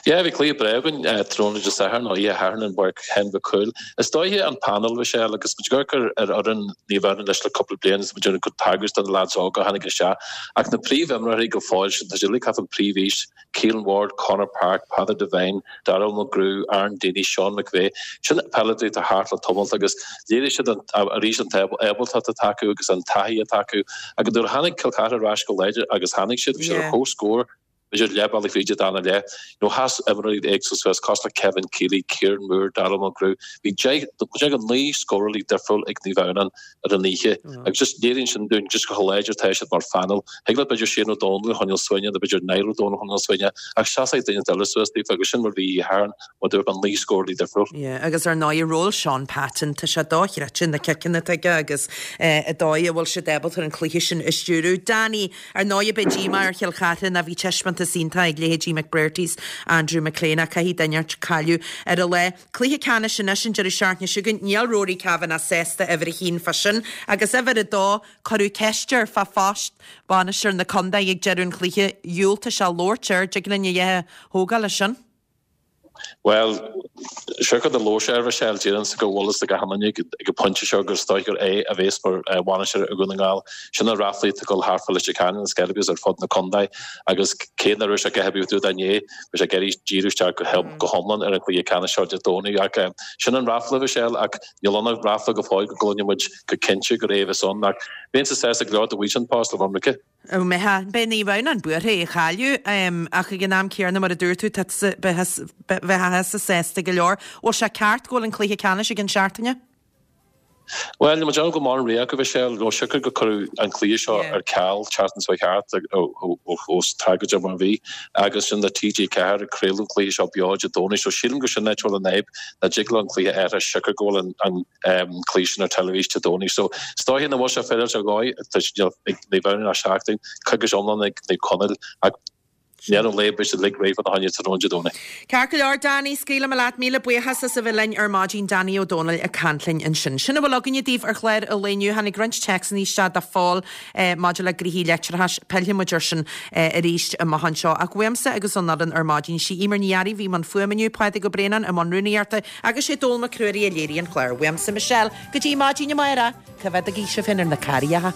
Yeah, bhí cluiche breá againn tráthnóna Dé Sathairn nó oíche Shathairn i bPáirc Sheáin Mhic Cumhaill. Is dóiche an panel, Michelle, agus muid ag amharc ar fhoireann Naomh Adhamhnáin leis le cúpla bliain is muid ag tagairt do na lads óga a tháinig isteach. Ach na príomhimreoirí go fóill sin, tá siad uilig thart an príomhaois, Keelan Ward, Conor Park, Peadar Devine, Darrell McGrew, Aaron Deeney, Sean McVeigh. Sin peileadóirí atá thart le tamalt agus léirigh siad arís an ábaltacht atá acu agus an taithí atá acu. Agus nuair a tháinig Cill Chartha ar ais go láidir agus tháinig siad, bhí siad ar comhscór, b'fhéidir leath bealaigh fríd an dara leath. You know, sheas imreoirí éagsúla suas, cosúil le Kevin Keeley, Kieran Moore, Darrell McGrew. Bhí deich, deich go naoi scórálaí difriúil ag Naomh Adhamhnáin ar an oíche. Agus just léiríonn sin dúinn just chomh láidir atá siad mar phainéal. Thig leat b'fhéidir Shane O'Donnell a choinneáil suaimhneach nó b'fhéidir Niall O'Donnell a choinneáil suaimhneach ach seasfaidh duine eile suas daofa agus sin mar bhí oíche Shathairn mar dúirt mé naoi scórálaí difriúil. Yeah, agus ar ndóigh ról Sean Patton, tá sé dochreidte na ciceanna atá aige agus an dóigh a bhfuil siad ábalta an cluiche sin a stiúradh. Danny, Ar ndóigh beidh díomá ar Chill Chartha ná bhí taispeántas iontach ag leithéidí McBrearty's, Andrew McLean ach caithfidh duine inteacht cailleadh ar an lá. Cluiche ceannais anois an deireadh seachtaine seo chugainn. Níl Rory Kavanagh sásta uimhir a haon fá sin agus uimhir a dó cuireadh ceist air fá phost bainisteoir na contae ag deireadh an chluiche. Dhiúltaigh sé labhairt air. Dtig linn a dhath a thógáil as sin. Bhuel, siocair do labhair sé air Michelle, déarfainnse go bhfuil fhios ag achan duine ag an bpointe seo gur is dóigh gur é a bhéas mar bhainisteoir ar Dhún na nGall. Sin na ráflaí atá ag dul thart fá Leitir Ceanainn agus Sceilg agus ar fud na contae agus cé nach raibh sé a dhath ar bith dúinn inné, bhí sé ag iarraidh díriú isteach go hiomlán ar an gcluiche ceannais seo Dé Domhnaigh. Ach sin an ráfla, Michelle, ach níl ann ach ráfla go fóill go gcluinfidh muid go cinnte gur é a bheas ann. Ach bheinnse sásta go leor dá bhfaigheadh sé an post le bheith ionraic. An mbeifeá? Beidh Naomh Adhamhnáin buartha é a chailleadh ach ag an am céanna mar a dúirt tú tá bheifeá sásta go leor. Bhfuil sé ceart go bhfuil an cluiche ceannais ag an seachtaine? Bhuel, níl muid ann go maith an ré acu, Michelle. Nó siocair gur cuireadh an cluiche seo ar ceal tseachtain seo thart ós tragóide mar a bhí agus sin le T G ceathair ag craoladh an cluiche seo beo Dé Domhnaigh. So sílim gur sin an áit a bhfuil an fhadhb, nach dtig leo an cluiche a athrú siocair go bhfuil an cluiche sin ar teilifís Dé Domhnaigh. So is dóiche nach bhfuil sé féaráilte a dhóigh, tá sé ag Naomh Adhamhnáin ach seachtain, coicís iomlán ag Naomh Conaill ach i ndeireadh an lae beidh siad uilig réidh fá choinne tráthnóna Dé Domhnaigh. Ceart go leor, Danny, scaoilfidh mé leat. Míle buíochas as a bheith linn ar maidin, Danny Ó Dónaill ag caint linn ansin. Sin a bhfuil againne daoibh ar chlár an lae inniu. Tháinig roinnt téacsanna isteach do Phól maidir le gnoithí leictreachais. Pillfidh muid air sin arís amach anseo. Ach uaimse agus ón fhoireann ar maidin, sí Eimear Ní Fhearraigh a bhí i mbun fuaime inniu, Pádraig Ó Braonáin i mbun rúnaíochta, Agus sé Dónall Mac Ruairí a léirigh an clár. Uaimse Michelle, go dtí maidin amárach, coimhéadaigí sibh féin ar na carraigeacha.